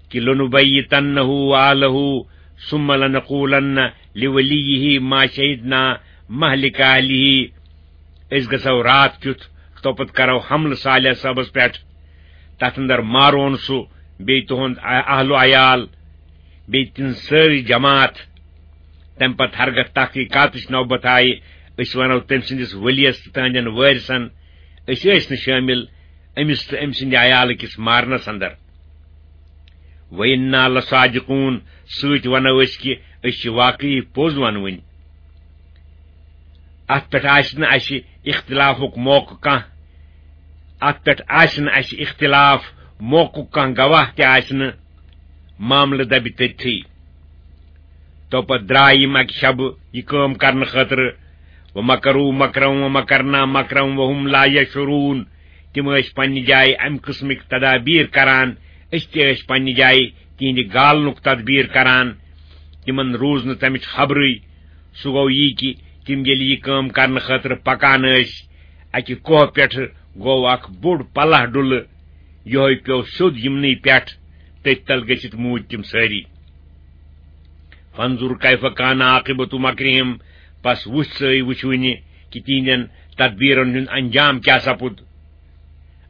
کہِ لنبیتنہ و اہلہ ثم لنقولن لولیہ ما شہدنا مہلک اہلہ۔ أسۍ گژھو راتھ کیُتھ، توپتہٕ کرو حملہٕ صالح صٲبس پٮ۪ٹھ، تتھ اندر مارون سُہ، بیٚیہِ تُہُنٛد اہل و عیال، بیٚیہِ تِہنٛز سٲرٕے جماعت۔ تمہِ پتہٕ ہرگتھ تحقیقاتٕچ نوبت آیہِ، أسۍ ونو تٔمۍ سٕنٛدِس ؤلیَس تہٕ تہنٛدٮ۪ن وٲرثن، أسۍ ٲسۍ نہٕ شٲمِل أمِس تہٕ أمۍ سٕنٛدِ عیالہٕ کِس مارنس اندر۔ وَإِنَّا لَصَادِقُونَ، سۭتۍ وَنو أسۍ کہِ أسۍ چھِ واقعی پوٚز وَنوٕنۍ۔ اَتھ پٮ۪ٹھ آسہِ نہٕ اَسہِ اختلافُک موقعہٕ کانٛہہ، اَتھ پٮ۪ٹھ آسہِ نہٕ اَسہِ اختلاف موقعُک کانٛہہ گواہ تہِ آسہِ نہٕ، معاملہٕ دَبہِ تٔتھی۔ تو پتہٕ درٛاے یِم اَکہِ شبہٕ یہِ کٲم کرنہٕ خٲطرٕ۔ وَمَكَرُوا مَكْرًا وَمَكَرْنَا مَكْرًا وَهُمْ لَا يَشْعُرُونَ۔ تِم ٲسۍ پننہِ جایہِ اَمہِ قٕسمٕکۍ تدابیٖر کران، أسۍ تہِ ٲسۍ پننہِ جایہِ تِہنٛدِ گالنُک تدبیٖر کران۔ تِمن روٗز نہٕ تَمِچ خبرٕے۔ سُہ گوٚو یی کہِ تِم ییٚلہِ یہِ کٲم کرنہٕ خٲطرٕ پکان ٲسۍ، اَکہِ کوہ پٮ۪ٹھٕ گوٚو اکھ بوٚڑ پلہ ڈُلہٕ، یِہوٚے پیوٚو سیوٚد یِمنٕے پٮ۪ٹھ، تٔتھۍ تل گٔژھِتھ موٗدۍ تِم سٲری۔ فانظر کیف کان عاقبۃ مکرہم، پس وُچھ سٲے وُچھوٕنہِ کہِ تِہنٛدٮ۪ن تدبیرن ہُنٛد انجام کیاہ سپُد۔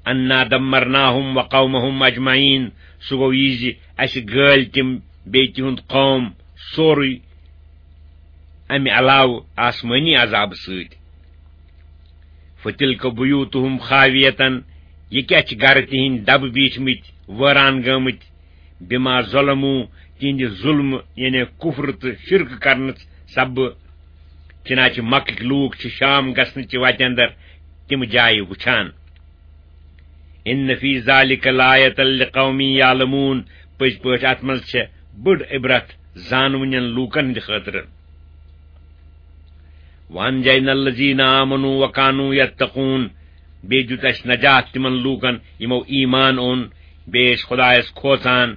انا دمرناہم وقومہم اجمعین، سُہ گوٚو یہِ زِ اسہِ گٲلۍ تِم بیٚیہِ تِہُنٛد قوم سورُے امہِ علاوٕ آسمٲنی عذابہٕ سۭتۍ۔ فتلک بیوتہم خاویتن، یہِ کیاہ چھِ گرٕ تِہنٛدۍ دبہٕ بیٖٹھمٕتۍ، وٲران گٲمٕتۍ، بما ظلمو، تِہنٛدِ ظلمہٕ یعنی کفر تہٕ شرک کرنہٕ سببہٕ۔ چنانچہ مکٕکۍ لوٗکھ چھِ شام گژھنہٕ چہِ وتہِ اندر تِم جایہِ وٕچھان۔ ان فی ذالک لآیۃ لقوم یعلمون، پٔزۍ پٲٹھۍ اتھ منٛز چھےٚ بٔڑ عبرت زانوٕنٮ۪ن لوٗکن ہٕنٛدِ خٲطرٕ۔ وَأَنجَيْنَا الَّذِينَ آمَنُوا وَكَانُوا يَتَّقُونَ، بیٚیہِ دیُت اَسہِ نجات تِمن لوٗکن یِمو ایمان اوٚن، بیٚیہِ ٲسۍ خۄدایس کھوژان۔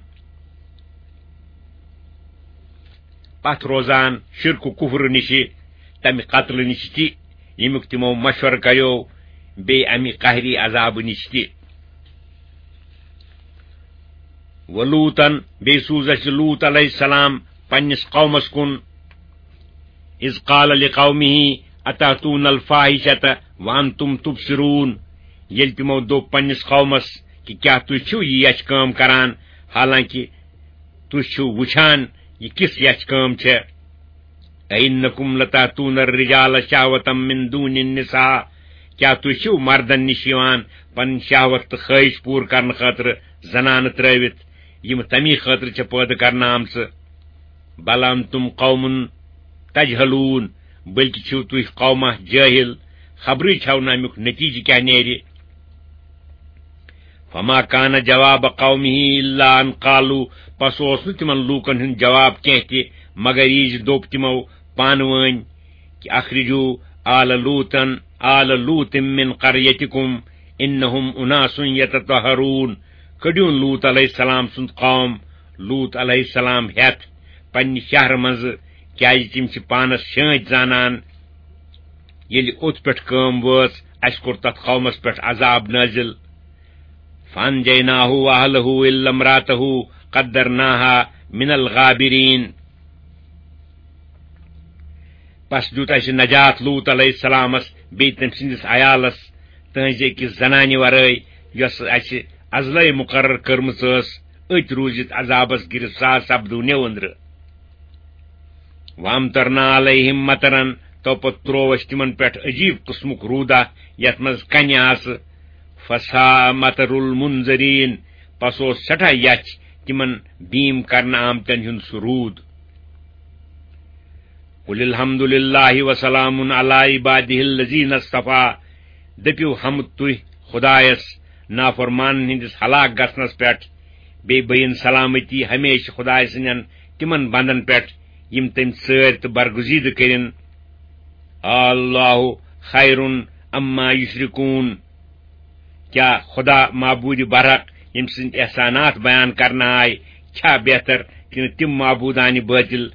پتھ روزان شرک و کفر نِشہِ، تمہِ قتلہٕ نِشہِ تہِ، ییٚمیُک تِمو مشورٕ کریو، بیٚیہِ امہِ قہری عذابہٕ نِشہِ تہِ۔ ولوطن، بیٚیہِ سوٗز اَسہِ لوط علیہ السلام پننِس قومس کُن۔ اذ قال لقومه اتاتون الفاحشة وانتم تبصرون، ییٚلہِ تِمو دوٚپ پننِس قومس کہِ کیٛاہ تُہۍ چھِو یہِ یچھ کٲم کران، حالانکہِ تُہۍ چھِو وٕچھان یہِ کِژھ یچھ کٲم چھےٚ۔ أئنکم لتأتون الرجال شهوة من دون النساء، کیٛاہ تُہۍ چھِو مردن نِش یِوان پنٕنۍ شہوت تہٕ خٲہِش پوٗرٕ کرنہٕ خٲطرٕ زنانہٕ ترٲوِتھ، یِم تمی خٲطرٕ چھےٚ پٲدٕ کرنہٕ آمژٕ؟ بل انتم قوم تجہلون، بلکہِ چھِو تُہۍ قومہ جٲہِل، خبرٕے چھَو نہٕ اَمیُک نتیٖجہٕ کیٛاہ نیرِ۔ فما کان جواب قومه الا ان قالوا، پس اوس نہٕ تِمن لوٗکن ہُنٛد جواب کینٛہہ تہِ، مگر یہِ زِ دوٚپ تِمو پانہٕ وٲنۍ کہِ اخرجوا آل لوطن، آل لوط من قریتکم انہم اناس یتطہرون، کٔڑِو لوط علیہ السلام سُنٛد قوم، لوط علیہ السلام ہٮ۪تھ پننہِ شہرٕ منٛزٕ، کیازِ تِم چھِ پانس شٲنٛتۍ زانان۔ ییٚلہِ اوٚت پٮ۪ٹھ کٲم وٲژ، اسہِ کوٚر تتھ قومس پٮ۪ٹھ عذاب نٲزِل۔ فانجیناہ واہلہ الا امرأتہ قدرناہا من الغابرین۔ پس دیُت اسہِ نجات لوط علیہ السلامس بیٚیہِ تٔمۍ سٕنٛدِس عیالس، تٕہٕنٛزِ أکِس زنانہِ ورٲے، یۄس اسہِ ازلے مقرر کٔرمٕژ ٲس، أتۍ روٗزِتھ عذابس گرفتار سپدوٗنیو أنٛدرٕ۔ وامطرنا علیہم مطرا، تو پتہٕ تروو اسہِ تِمن پٮ۪ٹھ عجیب قٕسمُک روٗدا، یتھ منٛز کنہِ آسہٕ۔ فساء مطر المنذرین، پس اوس سٮ۪ٹھاہ یژھ تِمن بیٖم کرنہٕ آمتٮ۪ن ہُنٛد سُہ روٗد۔ قل الحمد للہ وسلام علی عبادہ الذین اصطفیٰ، دٔپِو حمد تُہۍ خدایس نافرمانن ہٕنٛدِس ہلاک گژھنس پٮ۪ٹھ، بیٚیہِ بٔیِن سلامتی ہمیشہِ خدایہِ سٕنٛدٮ۪ن تِمن بندن پٮ۪ٹھ، یِم تٔمۍ ژٲرۍ تہٕ برگزیدٕ کٔرِن۔ اللہ خیر عما یشرکون۔ کیا خدا معبود برحق، ییٚمۍ سٕنٛدۍ احسانات بیان کرنہٕ آے، چھا بہتر کِنہٕ تِم معبودانہِ باطل،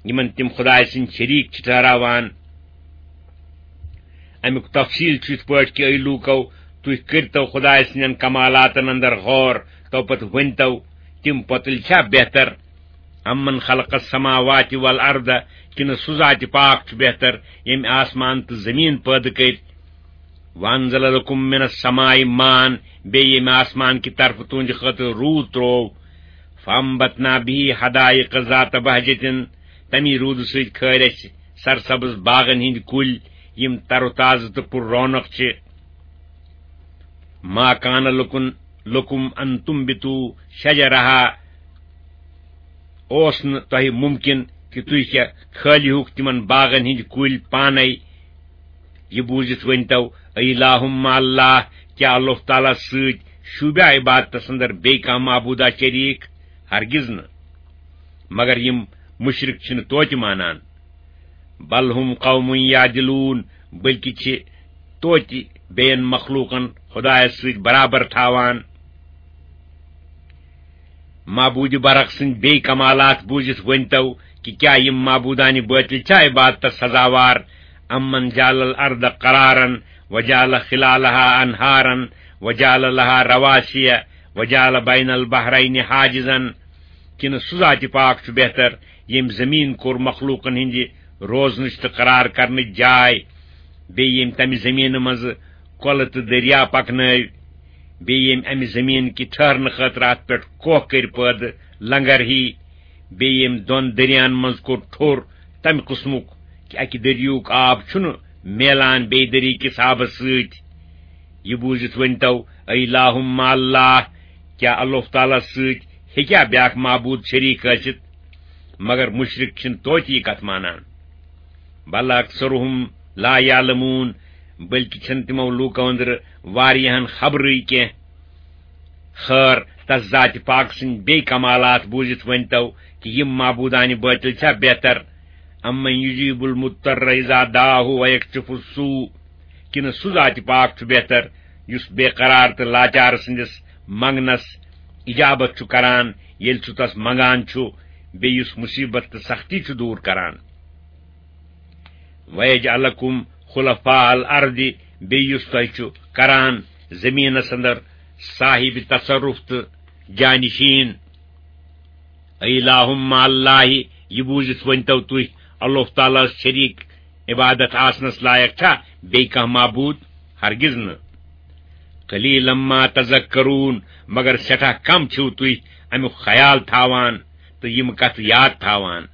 یِمن تِم خدایہِ سٕنٛدۍ شریٖک چھِ ٹھہراوان؟ اَمیُک تفصیٖل چھُ یِتھ پٲٹھۍ کہِ، اے لوٗکو، تُہۍ کٔرۍتو خدایہِ سٕنٛدٮ۪ن کمالاتن اندر غور، تو پتہٕ ؤنۍتو، تِم پۄتٕلۍ چھا بہتر؟ امن خلق السماوات والارض، کِنہٕ سُہ ذاتِ پاک چھُ بہتر، ییٚمۍ آسمان تہٕ زٔمیٖن پٲدٕ کٔرۍ؟ وانزل لکم من السماء ماء، بیٚیہِ ییٚمۍ آسمان کہِ طرفہٕ تُہنٛدِ خٲطرٕ روٗد ترٛوو۔ فانبتنا به حدائق ذات بهجة، تَمی روٗدٕ سۭتۍ کھٲرۍ اَسہِ سرسبز باغن ہٕنٛدۍ کُلۍ، یِم تر و تازٕ تہٕ پر رونق چھِ۔ ما کان لکن، لکم ان تنبتوا شجرها، اوس نہٕ تۄہہِ مُمکِن کہِ تُہۍ کیٛاہ کھٲلِہُکھ تِمن باغن ہٕنٛدۍ کُلۍ پانے؟ یہِ بوٗزِتھ ؤنۍتو، اے الہ مع اللہ، کیٛاہ اللہ تعالیٰ سۭتۍ شوٗبیا عبادتس اندر بیٚیہِ کانٛہہ معبوٗدا شریٖک؟ ہرگز نہٕ۔ مگر یِم مُشرِک چھِنہٕ توتہِ مانان۔ بل ہم قوم یعدلون، بلکہِ چھِ توتہِ بیٚین مخلوٗقن خدایس سۭتۍ برابر تھاوان۔ معبوٗدِ برحق سٕنٛدۍ بیٚیہِ کمالات بوٗزِتھ ؤنۍتو کہِ کیٛاہ یِم معبوٗدانہِ باطل چھا عبادتس سزاوار؟ امن جعل الارض قرارا وجعل خلالها انہارا وجعل لها رواسی وجعل بین البحرین حاجزا، کِنہٕ سُہ ذاتِ پاک چھُ بہتر، ییٚمۍ زٔمیٖن کوٚر مخلوٗقن ہٕنٛدِ روزنٕچ تہٕ قرار کرنٕچ جاے، بیٚیہِ ییٚمۍ تَمہِ زٔمیٖنہٕ منٛزٕ کۄلہٕ تہٕ دٔریا پکنٲوۍ، بیٚیہِ ییٚمۍ اَمہِ زٔمیٖن کہِ ٹھہرنہٕ خٲطرٕ اَتھ پٮ۪ٹھ کوہ کٔرۍ پٲدٕ، لنگر ہی، بیٚیہِ ییٚمۍ دۄن دٔریاہن منٛز کوٚر ٹھوٚر تَمہِ قٕسمُک کہِ اَکہِ دٔریاہُک آب چھُنہٕ میلان بیٚیہِ دٔریاہ کِس آبس سۭتۍ۔ یہِ بوٗزِتھ ؤنۍتو، اے الہ مع اللہ، کیٛاہ اللہ تعالیٰ سۭتۍ ہیٚکیٛاہ بیٛاکھ معبوٗد شریٖک ٲسِتھ؟ مگر مُشرِک چھِنہٕ توتہِ یہِ کتھ مانان۔ بل اکثرهم لا یعلمون، بلکہِ چھِنہٕ تِمو لوٗکو أنٛدرٕ واریاہن خبرٕے کینٛہہ۔ خٲر، تس ذاتِ پاک سٕنٛدۍ بیٚیہِ کمالات بوٗزِتھ ؤنۍتو کہِ یِم معبوٗدانہِ باطل چھا بہتر؟ امن یجیب المضطر اذا دعاه ویکشف السوء، کِنہٕ سُہ ذاتِ پاک چھُ بہتر، یُس بے قرار تہٕ لاچار سٕنٛدِس منٛگنس اجابت چھُ کران، ییٚلہِ سُہ تس منٛگان چھُ، بیٚیہِ یُس مُصیبت تہٕ سختی چھُ دوٗر کران؟ وَيَجْعَلَكُمْ خُلَفَاءَ الْأَرْضِ، بیٚیہِ یُس تۄہہِ چھُ کران زٔمیٖنَس اندر صاحب تصرف تہٕ جانشین۔ اے الہ مع اللہ، یہِ بوٗزِتھ ؤنۍتو تُہۍ، اللہ تعالیٰ ہس شریٖک عبادت آسنس لایق چھا بیٚیہِ کانٛہہ معبوٗد؟ ہرگز نہٕ۔ قلیلا ما تذکرون، مگر سٮ۪ٹھاہ کم چھِو تُہۍ امیُک خیال تھاوان تہٕ یِم کتھٕ یاد تھاوان۔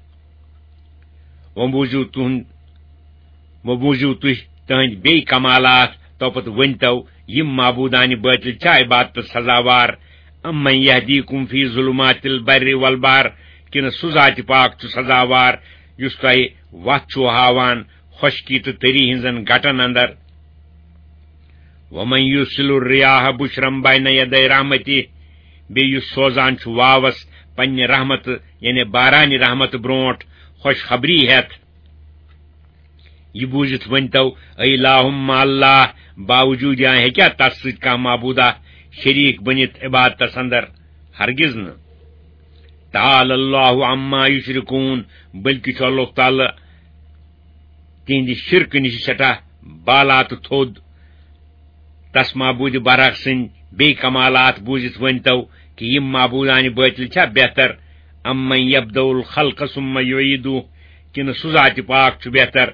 وۄنۍ بوٗزِو تُہُنٛد، وۄنۍ بوٗزِو تُہۍ تٕہٕنٛدۍ بیٚیہِ کمالات، تو پتہٕ ؤنۍتو، یِم معبوٗدانہِ باطل چھا عبادتس سزاوار؟ امن یہدیکم فی ظلمات البر والبحر، کِنہٕ سُہ ذاتِ پاک چھُ سزاوار، یُس تۄہہِ وتھ چھُو ہاوان خۄشکی تہٕ تٔری ہٕنٛزن گٹن اندر؟ ومن یرسل الرياح بشرا بين يدي رحمته، بیٚیہِ یُس سوزان چھُ واوس پننہِ رحمتہٕ، یعنی بارانہِ رحمتہٕ برونٹھ خوشخبری ہٮ۪تھ۔ یہِ بوٗزِتھ ؤنۍتو، اے الہ مع اللہ، باوجوٗد یا ہیٚکیٛاہ تس سۭتۍ کانٛہہ معبوٗدا شریٖک بٔنِتھ عبادتس اندر؟ ہرگز نہٕ۔ تعالی اللہ عما یشرکون، بلکہِ چھُ اللہ تعالیٰ تِہنٛدِ شرکہٕ نِش سٮ۪ٹھاہ بالا تہٕ تھوٚد۔ تس معبوٗدِ برحق سٕنٛدۍ بیٚیہِ کمالات بوٗزِتھ ؤنۍتو کہِ یِم معبوٗدانہِ باطل چھا بہتر؟ امن یبدأ الخلق ثم یعیدہ، کِنہٕ سُہ ذاتِ پاک چھُ بہتر،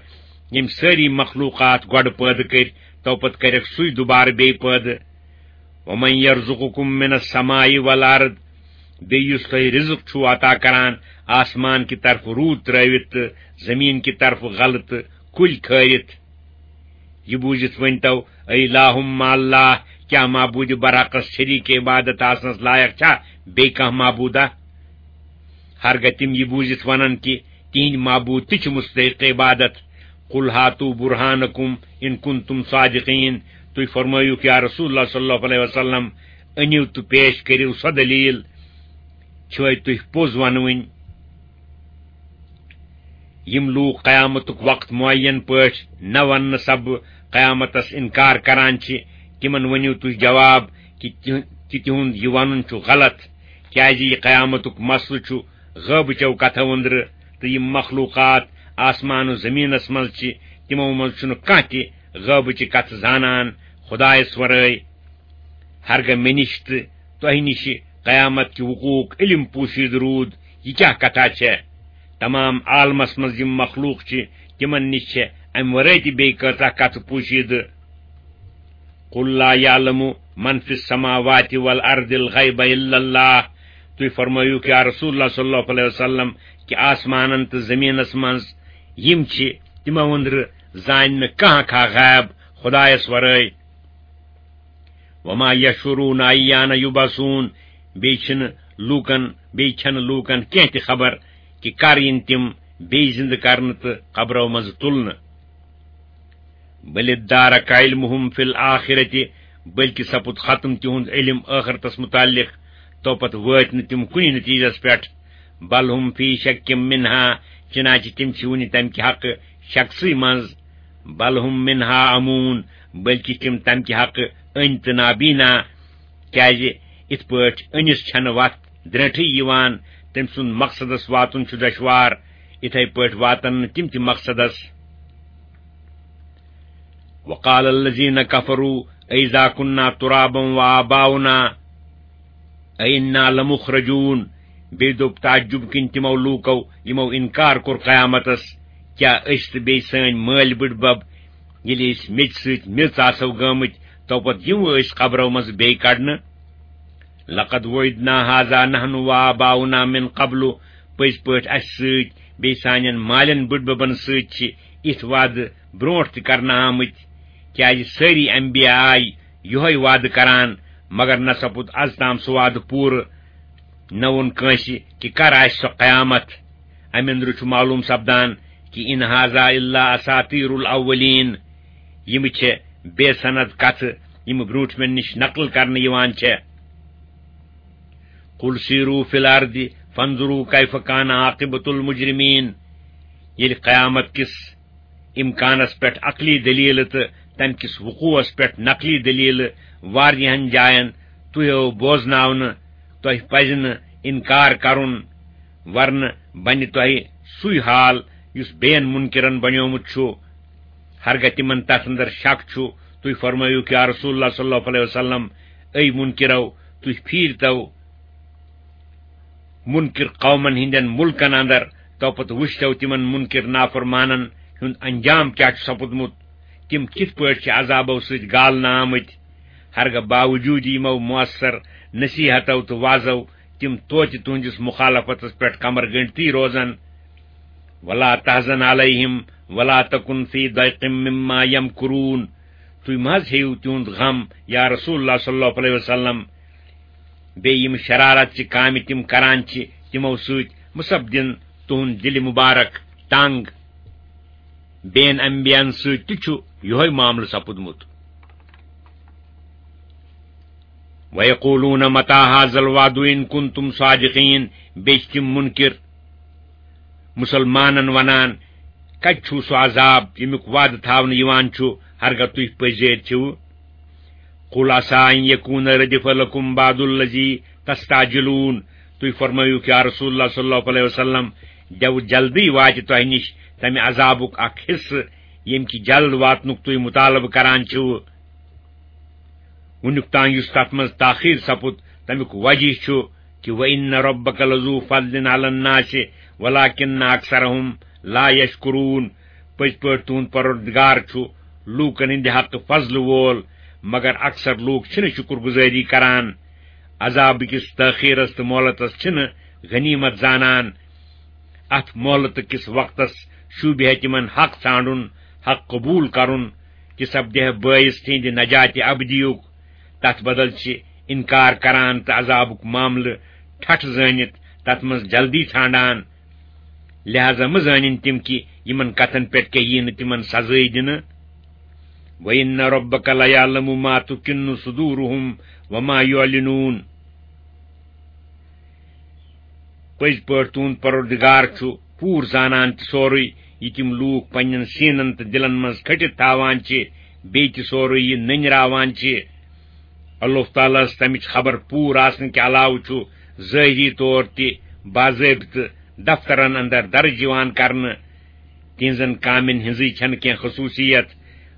ییٚمۍ سٲری مخلوٗقات گۄڈٕ پٲدٕ کٔرۍ، تو پتہٕ کرٮ۪کھ سُے دُبارٕ بیٚیہِ پٲدٕ؟ ومن یرزقکم من السماء والارض، بیٚیہِ یُس تۄہہِ رزق چھُو عطا کران آسمان کہِ طرفہٕ روٗد ترٲوِتھ تہٕ زٔمیٖن کہِ طرفہٕ غلہٕ تہٕ کُلۍ کھٲرِتھ۔ یہِ بوٗزِتھ ؤنۍتو، اے الہ مع اللہ، کیٛاہ معبوٗدِ برحقس شریٖک عبادت آسنس لایق چھا بیٚیہِ کانٛہہ معبوٗدا؟ ہرگاہ تِم یہِ بوٗزِتھ ونن کہِ تِہنٛدۍ معبوٗد تہِ چھِ مستحق عبادت۔ قل هاتوا برهانكم إن كنتم صادقين۔ تُہۍ فرمٲیِو یا رسول اللہ صلی اللہ علیہ وسلم، أنِو تہٕ پیش کٔرِو سۄ دلیٖل، چھِوَے تُہۍ پوٚز ونوٕنۍ؟ یِم لوٗکھ قیامتُک وقت معین پٲٹھۍ نہ وننہٕ سببہٕ قیامتس انکار کران چھِ، تِمن ؤنِو تُہۍ جواب کہِ تِہ-، کہِ تِہُنٛد یہِ ونُن چھُ غلط، کیازِ یہِ قیامتُک مسلہٕ چھُ غٲبٕچو کتھو أنٛدرٕ، تہٕ یِم مخلوقات آسمان و زمینس منٛز چھِ، تِمو منٛز چھُنہٕ کانٛہہ تہِ غٲبٕچہِ کتھٕ زانان خدایس ورٲے۔ ہرگاہ مےٚ نِش تہٕ تۄہہِ نِش قیامت کہِ وقوعُک علم پوشیدٕ روٗد، یہِ کیٛاہ کتھا چھےٚ؟ تمام عالمس منٛز یِم مخلوق چھِ، تِمن نِش چھےٚ امہِ ورٲے تہِ بیٚیہِ کۭژاہ کتھٕ پوشیدٕ۔ قل لا يعلم من في السماوات والارض الغيب الا الله۔ تُہۍ فرمٲیِو کہ یا رسول اللہ صلی اللہ علیہ وسلم، کہ آسمانن تہٕ زمینس منٛز یِم چھِ، تِمو أنٛدرٕ زانہِ نہٕ کانٛہہ کانٛہہ غیب خدایس ورٲے۔ وما يشعرون ايان يبعثون، بیٚیہِ چھِنہٕ لوٗکن، بیٚیہِ چھَنہٕ لوٗکن کینٛہہ تہِ خبر کہِ کر یِن تِم بیٚیہِ زِندٕ کرنہٕ تہٕ قبرو منٛزٕ تُلنہٕ۔ بل ادارک علمهم فی الآخرۃ، بلکہ سپُد ختم تِہُنٛد علم ٲخرتس متعلق، تو پتہٕ وٲتۍ نہٕ تِم کُنہِ نتیجس پٮ۪ٹھ۔ بل هم فی شک منها، چنانچہ تِم چھِ وُنہِ تمہِ کہِ حقہٕ شکسٕے منٛز۔ بل هم منها عمون، بلکہ تِم تمہِ کہِ حقہٕ أنۍ تہٕ نابینا، کیازِ یِتھ پٲٹھۍ أنِس چھنہٕ وتھ درٛنٛٹھٕے یِوان، تٔمۍ سُنٛد مقصدس واتُن چھُ دشوار، یِتھے پٲٹھۍ واتن نہٕ تِم تہِ مقصدس۔ وقال الذين كفروا أئذا كنا ترابا وآباؤنا أئنا لمخرجون۔ بیٚیہِ دوٚپ تعجب کِنۍ تِمو لوٗکو، یِمو انکار کوٚر قیامتس، کیٛاہ أسۍ تہٕ بیٚیہِ سٲنۍ مٲلۍ بٕڈبب، ییٚلہِ أسۍ میٚژِ سۭتۍ میٚژ آسو گٲمٕتۍ، تو پتہٕ یِمو أسۍ قبرو منٛزٕ بیٚیہِ کڑنہٕ؟ لقد وعدنا هذا نحن وآباؤنا من قبل، پٔزۍ پٲٹھۍ اَسہِ سۭتۍ بیٚیہِ سانٮ۪ن مالٮ۪ن بٕڈببن سۭتۍ چھِ یِتھۍ وعدٕ برونٛٹھ تہِ کرنہٕ آمٕتۍ، کیازِ سٲری انبیاء آے یِہوے وعدٕ کران، مگر نہ سپُد از تام سُہ وعدٕ پوٗرٕ، نہ ووٚن کٲنٛسہِ کہِ کر آسہِ سۄ قیامت۔ امہِ اندرٕ چھُ معلوم سپدان کہِ ان هذا الا اساطیر الاولین، یِم چھِ بے سند کتھٕ، یِم برونٛٹھمٮ۪ن نِش نقل کرنہٕ یِوان چھےٚ۔ قل سیروا فی الارض فانظروا کیف کان عاقبۃ المجرمین۔ ییٚلہِ قیامت کِس امکانس پٮ۪ٹھ عقلی دلیلہٕ تہٕ تمہِ کِس وقوعس پٮ۪ٹھ نقلی دلیلہٕ واریاہن جاین تُہۍ یِیِو بوزناونہٕ، تۄہہِ پزِ نہٕ انکار کرُن، ورنہٕ بنہِ تۄہہِ سُے حال یُس بیٚین منکرن بنیومُت چھُ۔ ہرگاہ تِمن تتھ اندر شک چھُ، تُہۍ فرمٲیِو کہ یا رسول اللہ صلی اللہ علیہ وسلم، اے منکرو، تُہۍ پھیرتو منکر قومن ہٕنٛدٮ۪ن مُلکن اندر، تو پتہٕ وُچھتو تِمن منکر نافرمانن ہُنٛد انجام کیٛاہ چھُ سپُدمُت، تِم کِتھ پٲٹھۍ چھِ عذابو سۭتۍ گالنہٕ آمٕتۍ۔ ہرگاہ باوجود یِمو مؤثر نصیحتو تہٕ وعظو تِم توتہِ تُہنٛدِس مخالفتس پٮ۪ٹھ کمر گٔنڈتھٕے روزن۔ ولا تحزن علیہم ولا تکن فی ضیق مما یمکرون۔ تُہۍ مہ حظ ہیٚیِو تِہُنٛد غم، یا رسول اللہ صلی اللہ علیہ وسلم۔ بیٚیہِ یِم شرارت چہِ کامہِ تِم کران چھِ، تِمو سۭتۍ مہ سپدِن تُہُنٛد دِلہِ مُبارک تنگ۔ بین انبیاہن سۭتۍ تہِ چھُ یِہوے معاملہٕ سپُدمُت۔ وَيَقُولُونَ مَتَىٰ هَٰذَا الْوَعْدُ إِن كُنتُمْ صَادِقِينَ۔ بیٚیہِ چھِ تِم مُنکِر مُسلمانن وَنان، کَتہِ چھُو سُہ عذاب، ییٚمیُک وعدٕ تھاونہٕ یِوان چھُ، ہرگاہ تُہۍ پٔزیٖر چھِو؟ قُلْ عَسَىٰ أَن يَكُونَ رَدِفَ لَكُم بَعْضُ الَّذِي تَسْتَعْجِلُونَ۔ تُہۍ فرمٲیِو کہ یا رسول اللہ صلی اللہ علیہ وسلم، دٮ۪وٕ جلدی واتہِ تۄہہِ نِش تَمہِ عذابُک اکھ حصہٕ، ییٚمہِ کہِ جلد واتنُک تُہۍ مُطالبہٕ کران چھِو۔ وُنیُک تام یُس تَتھ منٛز تاخیر سپُد، تَمیُک وجہ چھُ کہ وَإِنَّ رَبَّكَ لَذُو فَضْلٍ عَلَى النَّاسِ وَلَٰكِنَّ أَكْثَرَهُمْ لَا يَشْكُرُونَ۔ پٔزۍ پٲٹھۍ تُہُنٛد پروردگار چھُ لوٗکن ہٕنٛدِ حقہٕ فضلہٕ وول، مگر اکثر لوٗکھ چھِنہٕ شُکر گُزٲری کران۔ عذابہٕ کِس تٲخیرس تہٕ مۄہلتس چھِنہٕ غنیمت زانان۔ اتھ مۄہلتہٕ کِس وقتس شوٗبہِ ہے تِمن حق ژھانڈُن، حق قبول کرُن، تہِ سپدِ ہے بٲعث تِہنٛدِ نجاتِ ابدیُک۔ تتھ بدل چھِ انکار کران تہٕ عذابُک معاملہٕ ٹھٹھ زٲنِتھ تتھ منٛز جلدی ژھانڈان۔ لہذا مہ زٲنِن تِم کہِ یِمن کتھن پٮ۪ٹھ کیٛاہ ییہِ نہٕ تِمن سزٲے دِنہٕ۔ وَإِنَّ رَبَّكَ لَيَعْلَمُ مَا تُكِنُّ صُدُورُهُمْ وَمَا يُعْلِنُونَ۔ پٔزۍ پٲٹھۍ تُہُنٛد پروردگار چھُ پوٗرٕ زانان تہِ سورُے، یہِ تِم لوٗکھ پننٮ۪ن سیٖنن تہٕ دِلن منٛز کھٔٹِتھ تھاوان چھِ، بیٚیہِ تہِ سورُے یہِ نٔنۍ راوان چھِ۔ اللہ تعالیٰ ہس تمِچ خبر پوٗرٕ آسنہٕ کہِ علاوٕ چھُ ظٲہری طور تہِ باضٲبطہٕ دفترن اندر درج یِوان کرنہٕ۔ تِہنٛزن کامٮ۪ن ہٕنٛزٕے چھنہٕ کینٛہہ خصوٗصیت۔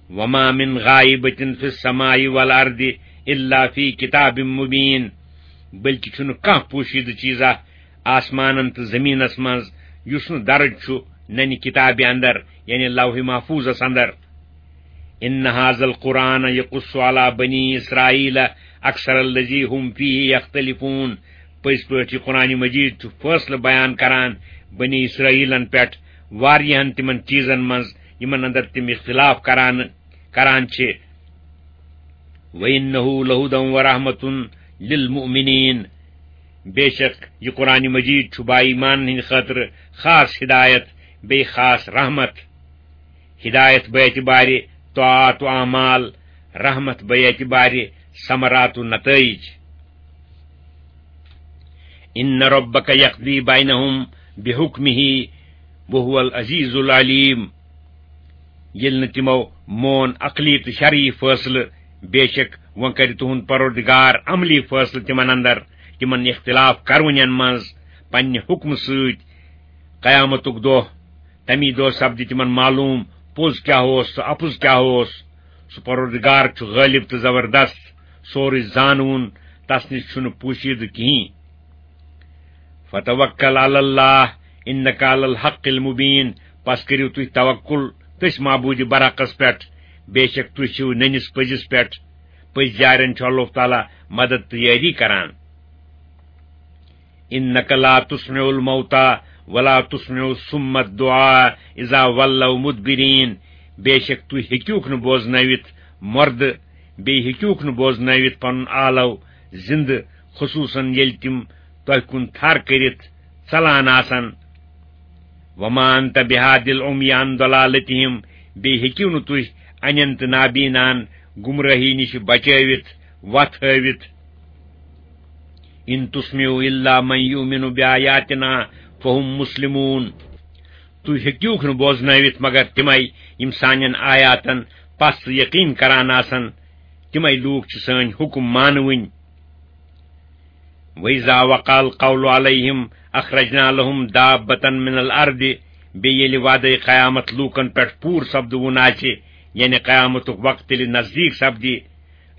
وما من غائبة في السماء والأرض إلا في كتاب مبين۔ بلکہِ چھُنہٕ کانٛہہ پوشیدٕ چیٖزا آسمانن تہٕ زمینس منٛز، یُس نہٕ درج چھُ ننہِ کتابہِ اندر، یعنی لوح محفوظس اندر۔ ان هذا القرآن يقص على بني إسرائيل أكثر الذي هم فيه يختلفون۔ پٔزۍ پٲٹھۍ یہِ قرآن مجید چھُ فٲصلہٕ بیان کران بنی اسرائیلن پٮ۪ٹھ واریاہن تِمن چیٖزن منٛز یِمن اندر تِم اختلاف کران، کران چھِ۔ وَإِنَّهُ لَهُدًى وَرَحْمَةٌ لِلْمُؤْمِنِينَ۔ بے شک یہِ قرآن مجید چھُ با ایمانن ہٕنٛدِ خٲطرٕ خاص ہدایت، بیٚیہِ خاص رحمت۔ ہدایت بہ اعتبارِ طاعات و اعمال، رحمت بہ اعتبارِ ثمرات و نتائج۔ ان ربک یقضی بینہم بحکمہ وہو العزیز العلیم۔ ییٚلہِ نہٕ تِمو مون عقلی تہٕ شرعی فٲصلہٕ، بے شک وۄنۍ کرِ تُہُنٛد پروردگار عملی فٲصلہٕ تِمن اندر، تِمن اختلاف کرونٮ۪ن منٛز پننہِ حکمہٕ سۭتۍ۔ قیامتُک دۄہ، تمی دۄہ سپدِ تِمن معلوم پوٚز کیٛاہ اوس تہٕ اپُز کیٛاہ اوس۔ سُہ پروردگار چھُ غٲلب تہٕ زبردست، سورُے زانوُن، تس نِش چھُنہٕ پوشیدٕ کِہیٖنۍ۔ فتوکل علی اللہ انک علی الحق المبین۔ پس کٔرِو تُہۍ توکل تٔسۍ معبوٗدِ برحقس پٮ۪ٹھ، بے شک تُہۍ چھِو نٔنِس پٔزِس پٮ۪ٹھ۔ پٔزۍ جارٮ۪ن چھُ اللہ تعالیٰ مدد تہٕ یٲری کران۔ انک لا تسمع الموتى ولا تسمع الصم الدعاء اذا ولوا مدبرین۔ بے شک تُہۍ ہیٚکِوکھ نہٕ بوزنٲوِتھ مردٕ، بیٚیہِ ہیٚکِوکھ نہٕ بوزنٲوِتھ پنُن آلو زِندٕ، خصوصاً ییٚلہِ تِم تۄہہِ کُن تھر کٔرِتھ ژلان آسن۔ وما انت بہاد العمی عن ضلالتہم۔ بیٚیہِ ہیٚکِو نہٕ تُہۍ انٮ۪ن تہٕ نابیناہن گمراہی نِش بچٲوِتھ، وتھ ہٲوِتھ۔ ان تسمع الا من یؤمن بآیاتنا فهم مسلمون۔ تُہۍ ہیٚکِوکھ نہٕ بوزنٲوِتھ مگر تِمے یِم سانٮ۪ن آیاتن پس تہٕ یقین کران آسن۔ تِمے لوٗکھ چھِ سٲنۍ حُکم مانوٕنۍ۔ وَإِذَا وَقَعَ الْقَوْلُ عَلَيْهِمْ أَخْرَجْنَا لَهُمْ دَابَّةً مِنَ الْأَرْضِ۔ بیٚیہِ ییٚلہِ وعدَے قیامت لوٗکَن پٮ۪ٹھ پوٗرٕ سپدوُن آسہِ، یعنی قیامتُک وقت ییٚلہِ نزدیٖک سپدِ،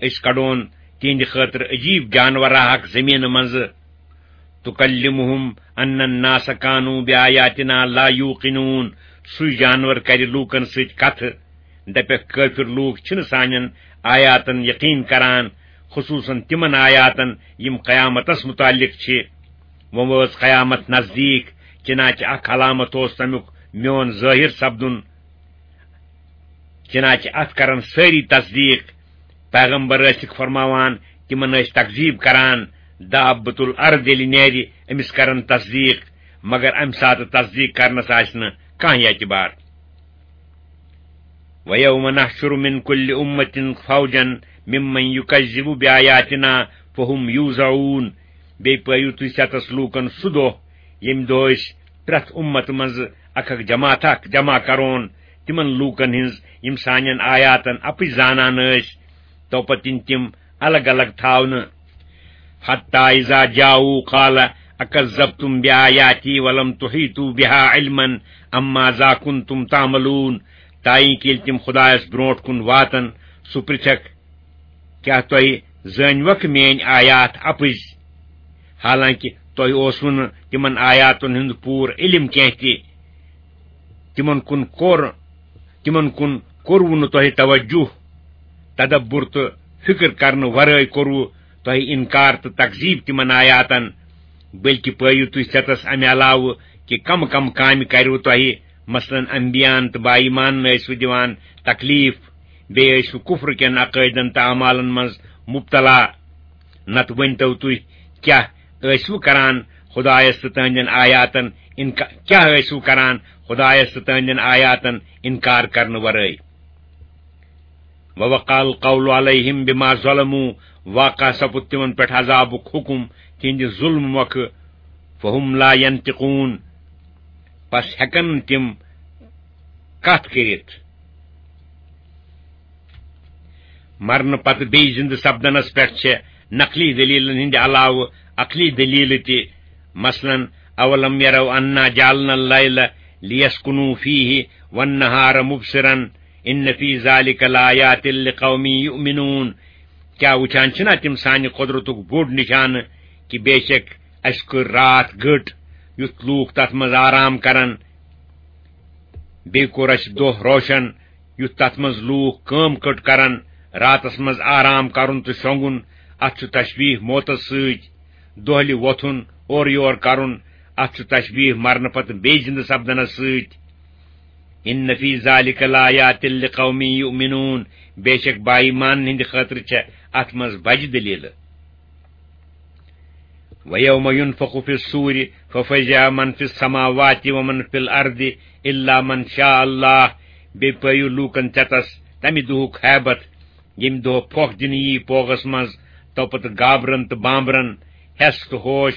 أسۍ کڑون تِہنٛدِ خٲطرٕ عجیٖب جانورا اکھ زمینہٕ منٛزٕ۔ تُکلِّمُهُمْ أَنَّ النَّاسَ كَانُوا بِآيَاتِنَا لَا يُوقِنُونَ۔ سُے جانور کرِ لوٗکَن سۭتۍ کتھٕ۔ دپکھ، کٲفر لوٗکھ چھِنہٕ سانٮ۪ن آیاتن یقین کران، خصوصاً تِمن آیاتن یِم قیامتس متعلق چھِ۔ وۄنۍ وٲژ قیامت نزدیٖک، چنانچہ اکھ علامت اوس تمیُک میون ظٲہر سپدُن، چنانچہ اتھ کرن سٲری تصدیٖق۔ پیغمبر ٲسِکھ فرماوان، تِمن ٲسۍ تکذیٖب کران، دابۃ الارض ییٚلہِ نیرِ، أمِس کرن تصدیٖق، مگر امہِ ساتہٕ تصدیٖق کرنس آسہِ نہٕ کانٛہہ اعتبار۔ وَيَوْمَ نَحْشُرُ مِنْ كُلِّ أُمَّةٍ فَوْجًا مِمَّنْ يُكَذِّبُ بِآيَاتِنَا فَهُمْ يُوزَعُونَ۔ بیٚیہِ پٲیِو تُہۍ ستس لوٗکن سُہ دۄہ، ییٚمہِ دۄہ أسۍ پرٛٮ۪تھ اُمت منٛزٕ اکھ اکھ جماعت اکھ جمع کرون، تِمن لوٗکن ہٕنٛز یِم سانٮ۪ن آیاتن اپٕز زانان ٲسۍ، توپتہٕ یِن تِم الگ الگ تھاونہٕ۔ حتى إذا جاءوا قال أكذبتم بآياتي ولم تحيطوا بها علما أم ماذا كنتم تعملون۔ تائیں کہ ییٚلہِ تِم خدایس برونٛٹھ کُن واتن، سُہ پرژھکھ، کیٛاہ تۄہہِ زٲنۍوکھ میٲنۍ آیات اپٕزۍ؟ حالانکہ تۄہہِ اوسوٕ نہٕ تِمن آیاتن ہُنٛد پوٗرٕ علم کینٛہہ تہِ۔ تِمن کُن کوٚر، تِمن کُن کوٚروٕ نہٕ تۄہہِ توجہ، تدبر تہٕ فکر کرنہٕ ورٲے کوٚروٕ تۄہہِ انکار تہٕ تکذیب تِمن آیاتن، بلکہ پٲیِو تُہۍ ژٮ۪تس امہِ علاوٕ کہِ کم کم کامہِ کروٕ تۄہہِ، مثلاً انبیاہن تہٕ با ایمانن ٲسوٕ دِوان تکلیف، بیٚیہِ ٲسوٕ کفر کٮ۪ن عقٲیدن تہٕ اعمالن منٛز مبتلا۔ نتہٕ ؤنۍتو تُہۍ، کیٛاہ ٲسوٕ کران خدایس تہٕ تہنٛدٮ۪ن آیاتن انکا-، کیٛاہ ٲسوٕ کران خدایس تہٕ تہنٛدٮ۪ن آیاتن انکار کرنہٕ ورٲے؟ وَوَقَعَ الْقَوْلُ عَلَيْهِمْ بِمَا ظَلَمُوا، واقع سپُد تِمن پٮ۪ٹھ عذابُک حُکُم تِہنٛدِ ظُلمہٕ مۄکھٕ، فَهُمْ لَا يَنطِقُونَ۔ پس ہیکن نہٕ تِم کتھ کٔرِتھ۔ مرنہٕ پتہٕ بیٚیہِ زِندٕ سپدنس پٮ۪ٹھ چھےٚ نقلی دٔلیٖلن ہٕنٛدِ علاوٕ عقلی دٔلیٖلہٕ تہِ، مثلاً، "اولم یروا انا جعلنا اللیل لیسکنوا فیہ والنہار مبصرا ان فی ذلک لآیات لقوم یؤمنون"، کیٛاہ وٕچھان چھِنا تِم سانہِ قۄدرتُک بوٚڑ نِشانہٕ کہِ بے شک اَسہِ کٔر راتھ گٔٹ، یُتھ لوٗکھ تَتھ منٛز آرام کرن؟ بیٚیہِ کوٚر اَسہِ دۄہ روشن، یُتھ تَتھ منٛز لوٗکھ کٲم کٔٹ کرن۔ راتس منٛز آرام کرُن تہٕ شۄنٛگُن، اَتھ چھُ تشبیہ موتس سۭتۍ۔ دۄہلہِ وۄتھُن، اورٕ یور کرُن، اَتھ چھُ تشبیہ مرنہٕ پتہٕ بیٚیہِ زِندٕ سپدنس سۭتۍ۔ ان فی ذلک لآیات لقوم یؤمنون، بے شک با ایمانن ہٕنٛدِ خٲطرٕ چھےٚ اَتھ منٛز بجہِ دٔلیٖلہٕ۔ ویوم ینفخ فی الصور ففزع من فی السماوات ومن فی الارض الا من شاء اللہ۔ بیٚیہِ پٲیِو لوٗکن ژٮ۪تس تمہِ دۄہُک ہیبت، ییٚمہِ دۄہ پھۄکھ دِنہٕ یی پوغس منٛز، تو پتہٕ گابرن تہٕ بامبرن ہٮ۪س تہٕ ہوش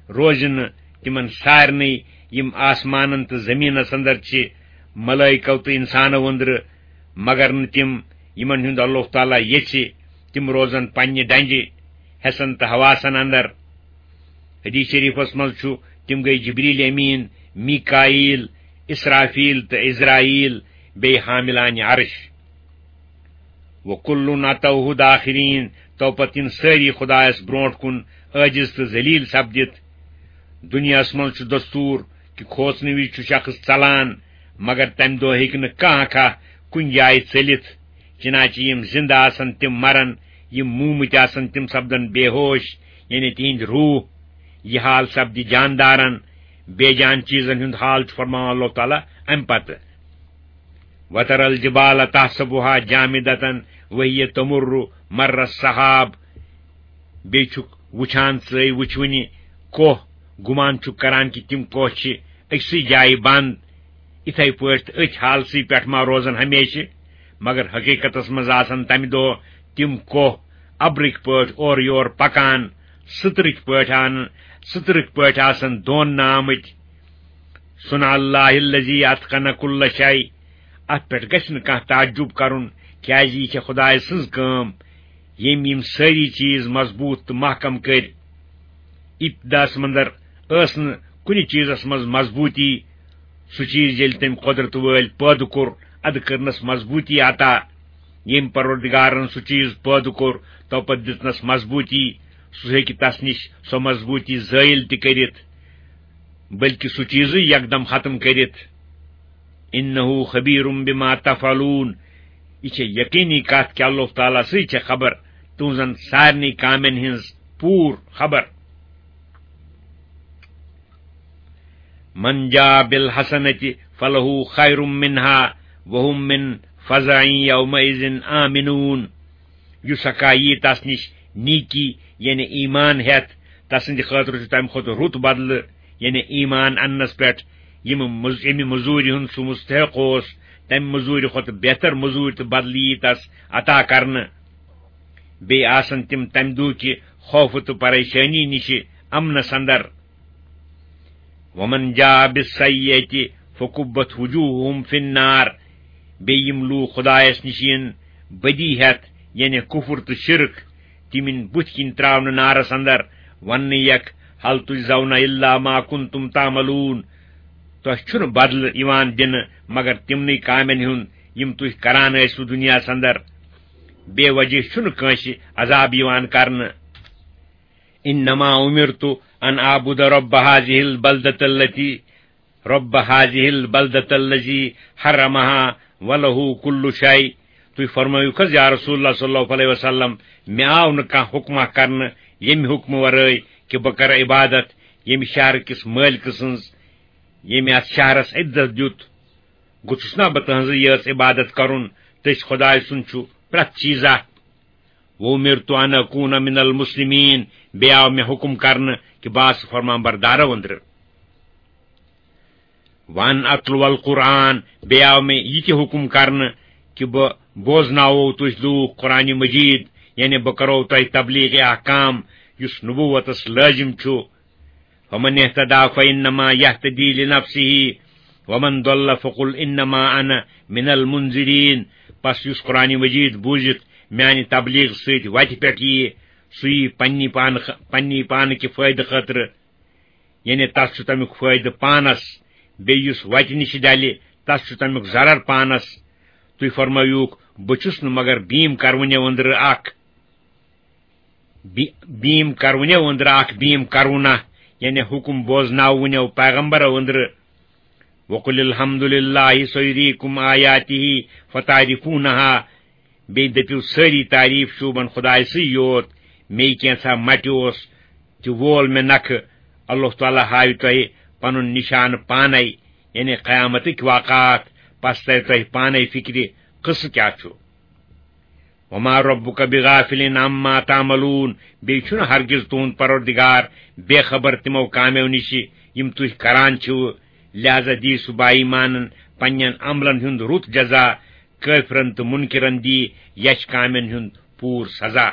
روزِ نہٕ تِمن سارنٕے، یِم آسمانن تہٕ زٔمیٖنس اندر چھِ، ملٲیکو تہٕ انسانو أنٛدرٕ، مگر نہٕ تِم، یِمن ہُنٛد اللہ تعالیٰ یژھِ۔ تِم روزن پننہِ ڈنجہِ، حسن تہٕ حواسن اندر۔ حدیث شریفس منٛز چھُ، تِم گٔے جبریل امین، میکائیل، اسرافیل تہٕ عزرائیل، بیٚیہِ حاملان عرش۔ وکلن اتوہ داخرین، تو پتہٕ یِن سٲری خدایس برونٛٹھ کُن عٲجز تہٕ ذلیل سپدِتھ۔ دُنیاہس منٛز چھُ دستور کہِ کھوژنہٕ وِزِ چھُ شخص ژلان، مگر تمہِ دۄہ ہیٚکہِ نہٕ کانٛہہ کھاہ کُنہِ جایہِ ژٔلِتھ، چنانچہ یِم زندٕ آسن تِم مرن، یِم موٗمٕتۍ آسن تِم سپدن بے ہوش، یعنی تِہنٛدۍ روح۔ یہِ حال سپدِ جاندارن، بے جان چیزن ہُنٛد حال چھُ فرماوان اللہ تعالیٰ امہِ پتہٕ۔ وتر الجبال تحسبها جامدة وهي تمر مر السحاب۔ بیٚیہِ چھُکھ وٕچھان ژٕے وٕچھوٕنہِ کوہ، گُمان چھُکھ کران کہِ تِم کوہ چھِ أکسٕے جایہِ بنٛد، یِتھے پٲٹھۍ تہٕ أتھۍ حالسٕے پٮ۪ٹھ ما روزن ہمیشہِ؟ مگر حقیقتس منٛز آسن تمہِ دۄہ تِم کوہ ابرٕکۍ پٲٹھۍ اورٕ یور پکان، سٕترٕکۍ پٲٹھۍ آن-، سٕترٕکۍ پٲٹھۍ آسن دوننہٕ آمٕتۍ۔ صنع اللہ الذی اتقن کل شیء۔ اتھ پٮ۪ٹھ گژھِ نہٕ کانٛہہ تعجب کرُن، کیازِ یہِ چھےٚ خدایہِ سٕنٛز کٲم، ییٚمۍ یِم سٲری چیز مضبوط تہٕ محکم کٔرۍ۔ ابتداہس منٛز ٲس نہٕ کُنہِ چیزس منٛز مضبوطی۔ سُہ چیز ییٚلہِ تٔمۍ قۄدرت وٲلۍ پٲدٕ کوٚر، ادٕ کٔرنس مضبوطی عطا۔ ییٚمۍ پروردگارن سُہ چیز پٲدٕ کوٚر، تو پتہٕ دِژنس مضبوطی۔ سُہ ہیٚکہِ تس نِش سۄ مضبوطی زٲیِل تہِ کٔرِتھ، بلکہِ سُہ چیزٕے یکدم ختم کٔرِتھ۔ انہ خبیر بما تفعلون۔ یہِ چھےٚ یقینی کتھ کہِ اللہ تعالیٰ سٕے چھےٚ خبر تُہنٛزن سارنٕے کامٮ۪ن ہٕنٛز پوٗر خبر۔ من جاء بالحسنة فله خير منها وهم من فزع يومئذ آمنون۔ یُس ہکا یی تس نِش نیکی، یعنی ایمان ہٮ۪تھ، تسٕنٛدِ خٲطرٕ چھُ تمہِ کھۄتہٕ رُت بدلہٕ، یعنی ایمان اننس پٮ۪ٹھ۔ یِم مز-، ییٚمہِ مٔزوٗرِ ہُنٛد سُہ مستحق اوس، تمہِ مٔزوٗرِ کھۄتہٕ بہتر مٔزوٗرۍ تہٕ بدلہٕ یی تس عطا کرنہٕ۔ بیٚیہِ آسن تِم تمہِ دۄہ کہِ خوفہٕ تہٕ پریشٲنی نِشہِ امنس اندر۔ ومن جاء بالسیئة فکبت وجوہہم فی النار۔ بیٚیہِ یِم لوٗکھ خدایس نِش یِن بدی ہٮ۪تھ، یعنی کفر تہٕ شرک، تِم یِن بُتھِ کِنۍ تراونہٕ نارس اندر، وننہٕ یکھ، ہل تجزون الا ما کنتم تعملون۔ تۄہہِ چھُنہٕ بدلہٕ یِوان دِنہٕ مگر تِمنٕے کامٮ۪ن ہُنٛد، یِم تُہۍ کران ٲسِو دُنیاہس اندر۔ بے وجہ چھُنہٕ کٲنٛسہِ عذاب یِوان کرنہٕ۔ انما امرت ان اعبد رب هذه البلدة التي، رب هذه البلدة الذي حرمها وله كل شيء۔ تُہۍ فرمٲیِو کھس، یا رسول اللہ صلی اللہ علیہ وسلم، مےٚ آو نہٕ کانٛہہ حُکمہ کرنہٕ ییٚمہِ حُکمہٕ ورٲے کہِ بہٕ کرٕ عبادت ییٚمہِ شہرٕ کِس مٲلکہٕ سٕنٛز، ییٚمہِ اتھ شہرس عزت دیُت۔ گوٚژھُس نا بہٕ تٕہٕنٛزٕے یٲژ عبادت کرُن؟ تٔسۍ خۄداے سُنٛد چھُ پرٛٮ۪تھ چیٖزا۔ وَأُمِرْتُ أَنْ أَكُونَ مِنَ الْمُسْلِمِينَ، بیٚیہِ آو مےٚ حُکُم کرنہٕ کہِ بہٕ آسہٕ فرمان بردارو أنٛدرٕ۔ وَأَنْ أَتْلُوَ الْقُرْآنَ، بیٚیہِ آو مےٚ یہِ تہِ حُکُم کرنہٕ کہِ بہٕ بوزناوو تُہۍ لوٗکھ قرآنِ مجیٖد، یعنی بہٕ کرو تۄہہِ تبلیغ احکام یُس نبوتس لٲزِم چھُ۔ فَمَنِ اهْتَدَىٰ فَإِنَّمَا يَهْتَدِي لِنَفْسِهِ، ومن ضل فقل انما انا من المنذرین۔ پس یُس قرآن مجید بوٗزِتھ میانہِ تبلیغ سۭتۍ وتہِ پٮ۪ٹھ ییہِ، سُہ ییہِ پننی پانہٕ، پننی پانہٕ کہِ فٲیدٕ خٲطرٕ، یعنی تس چھُ تمیُک فٲیدٕ پانس، بیٚیہِ یُس وتہِ نِش ڈلہِ، تس چھُ تمیُک ضرر پانس۔ تُہۍ فرمٲیوُکھ، بہٕ چھُس نہٕ مگر بیٖم کرونیو أنٛدرٕ اکھ، بی-، بیٖم کرونیو أنٛدرٕ اکھ بیٖم کرونہ، یعنی حُکُم بوزناونیو پیغمبرو أنٛدرٕ۔ وقل الحمد للہ سیریکم آیاتہ فتعرفونہا۔ بیٚیہِ دٔپِو سٲری تعریٖف شوٗبن خۄدایہِ سٕے یوت، مے کینٛژھا مٹہِ اوس تہِ وول مےٚ نکھٕ۔ اللہ تعالیٰ ہاوِ تۄہہِ پنُن نشانہٕ پانے، یعنی قیامتٕکۍ واقعات، پس ترِ تۄہہِ پانے فکرِ قصہٕ کیٛاہ چھُ۔ وما ربک بغافل عما تعملون۔ بیٚیہِ چھُنہٕ ہرگز تُہُنٛد پروردگار بے خبر تِمو کامیو نِشہِ یِم تُہۍ کران چھِو۔ لہذا دی سُہ با ایمانن پننٮ۪ن عملن ہُنٛد رُت جزا، کٲفرن تہٕ منکرن دی یچھ کامٮ۪ن ہُنٛد پوٗرٕ سزا۔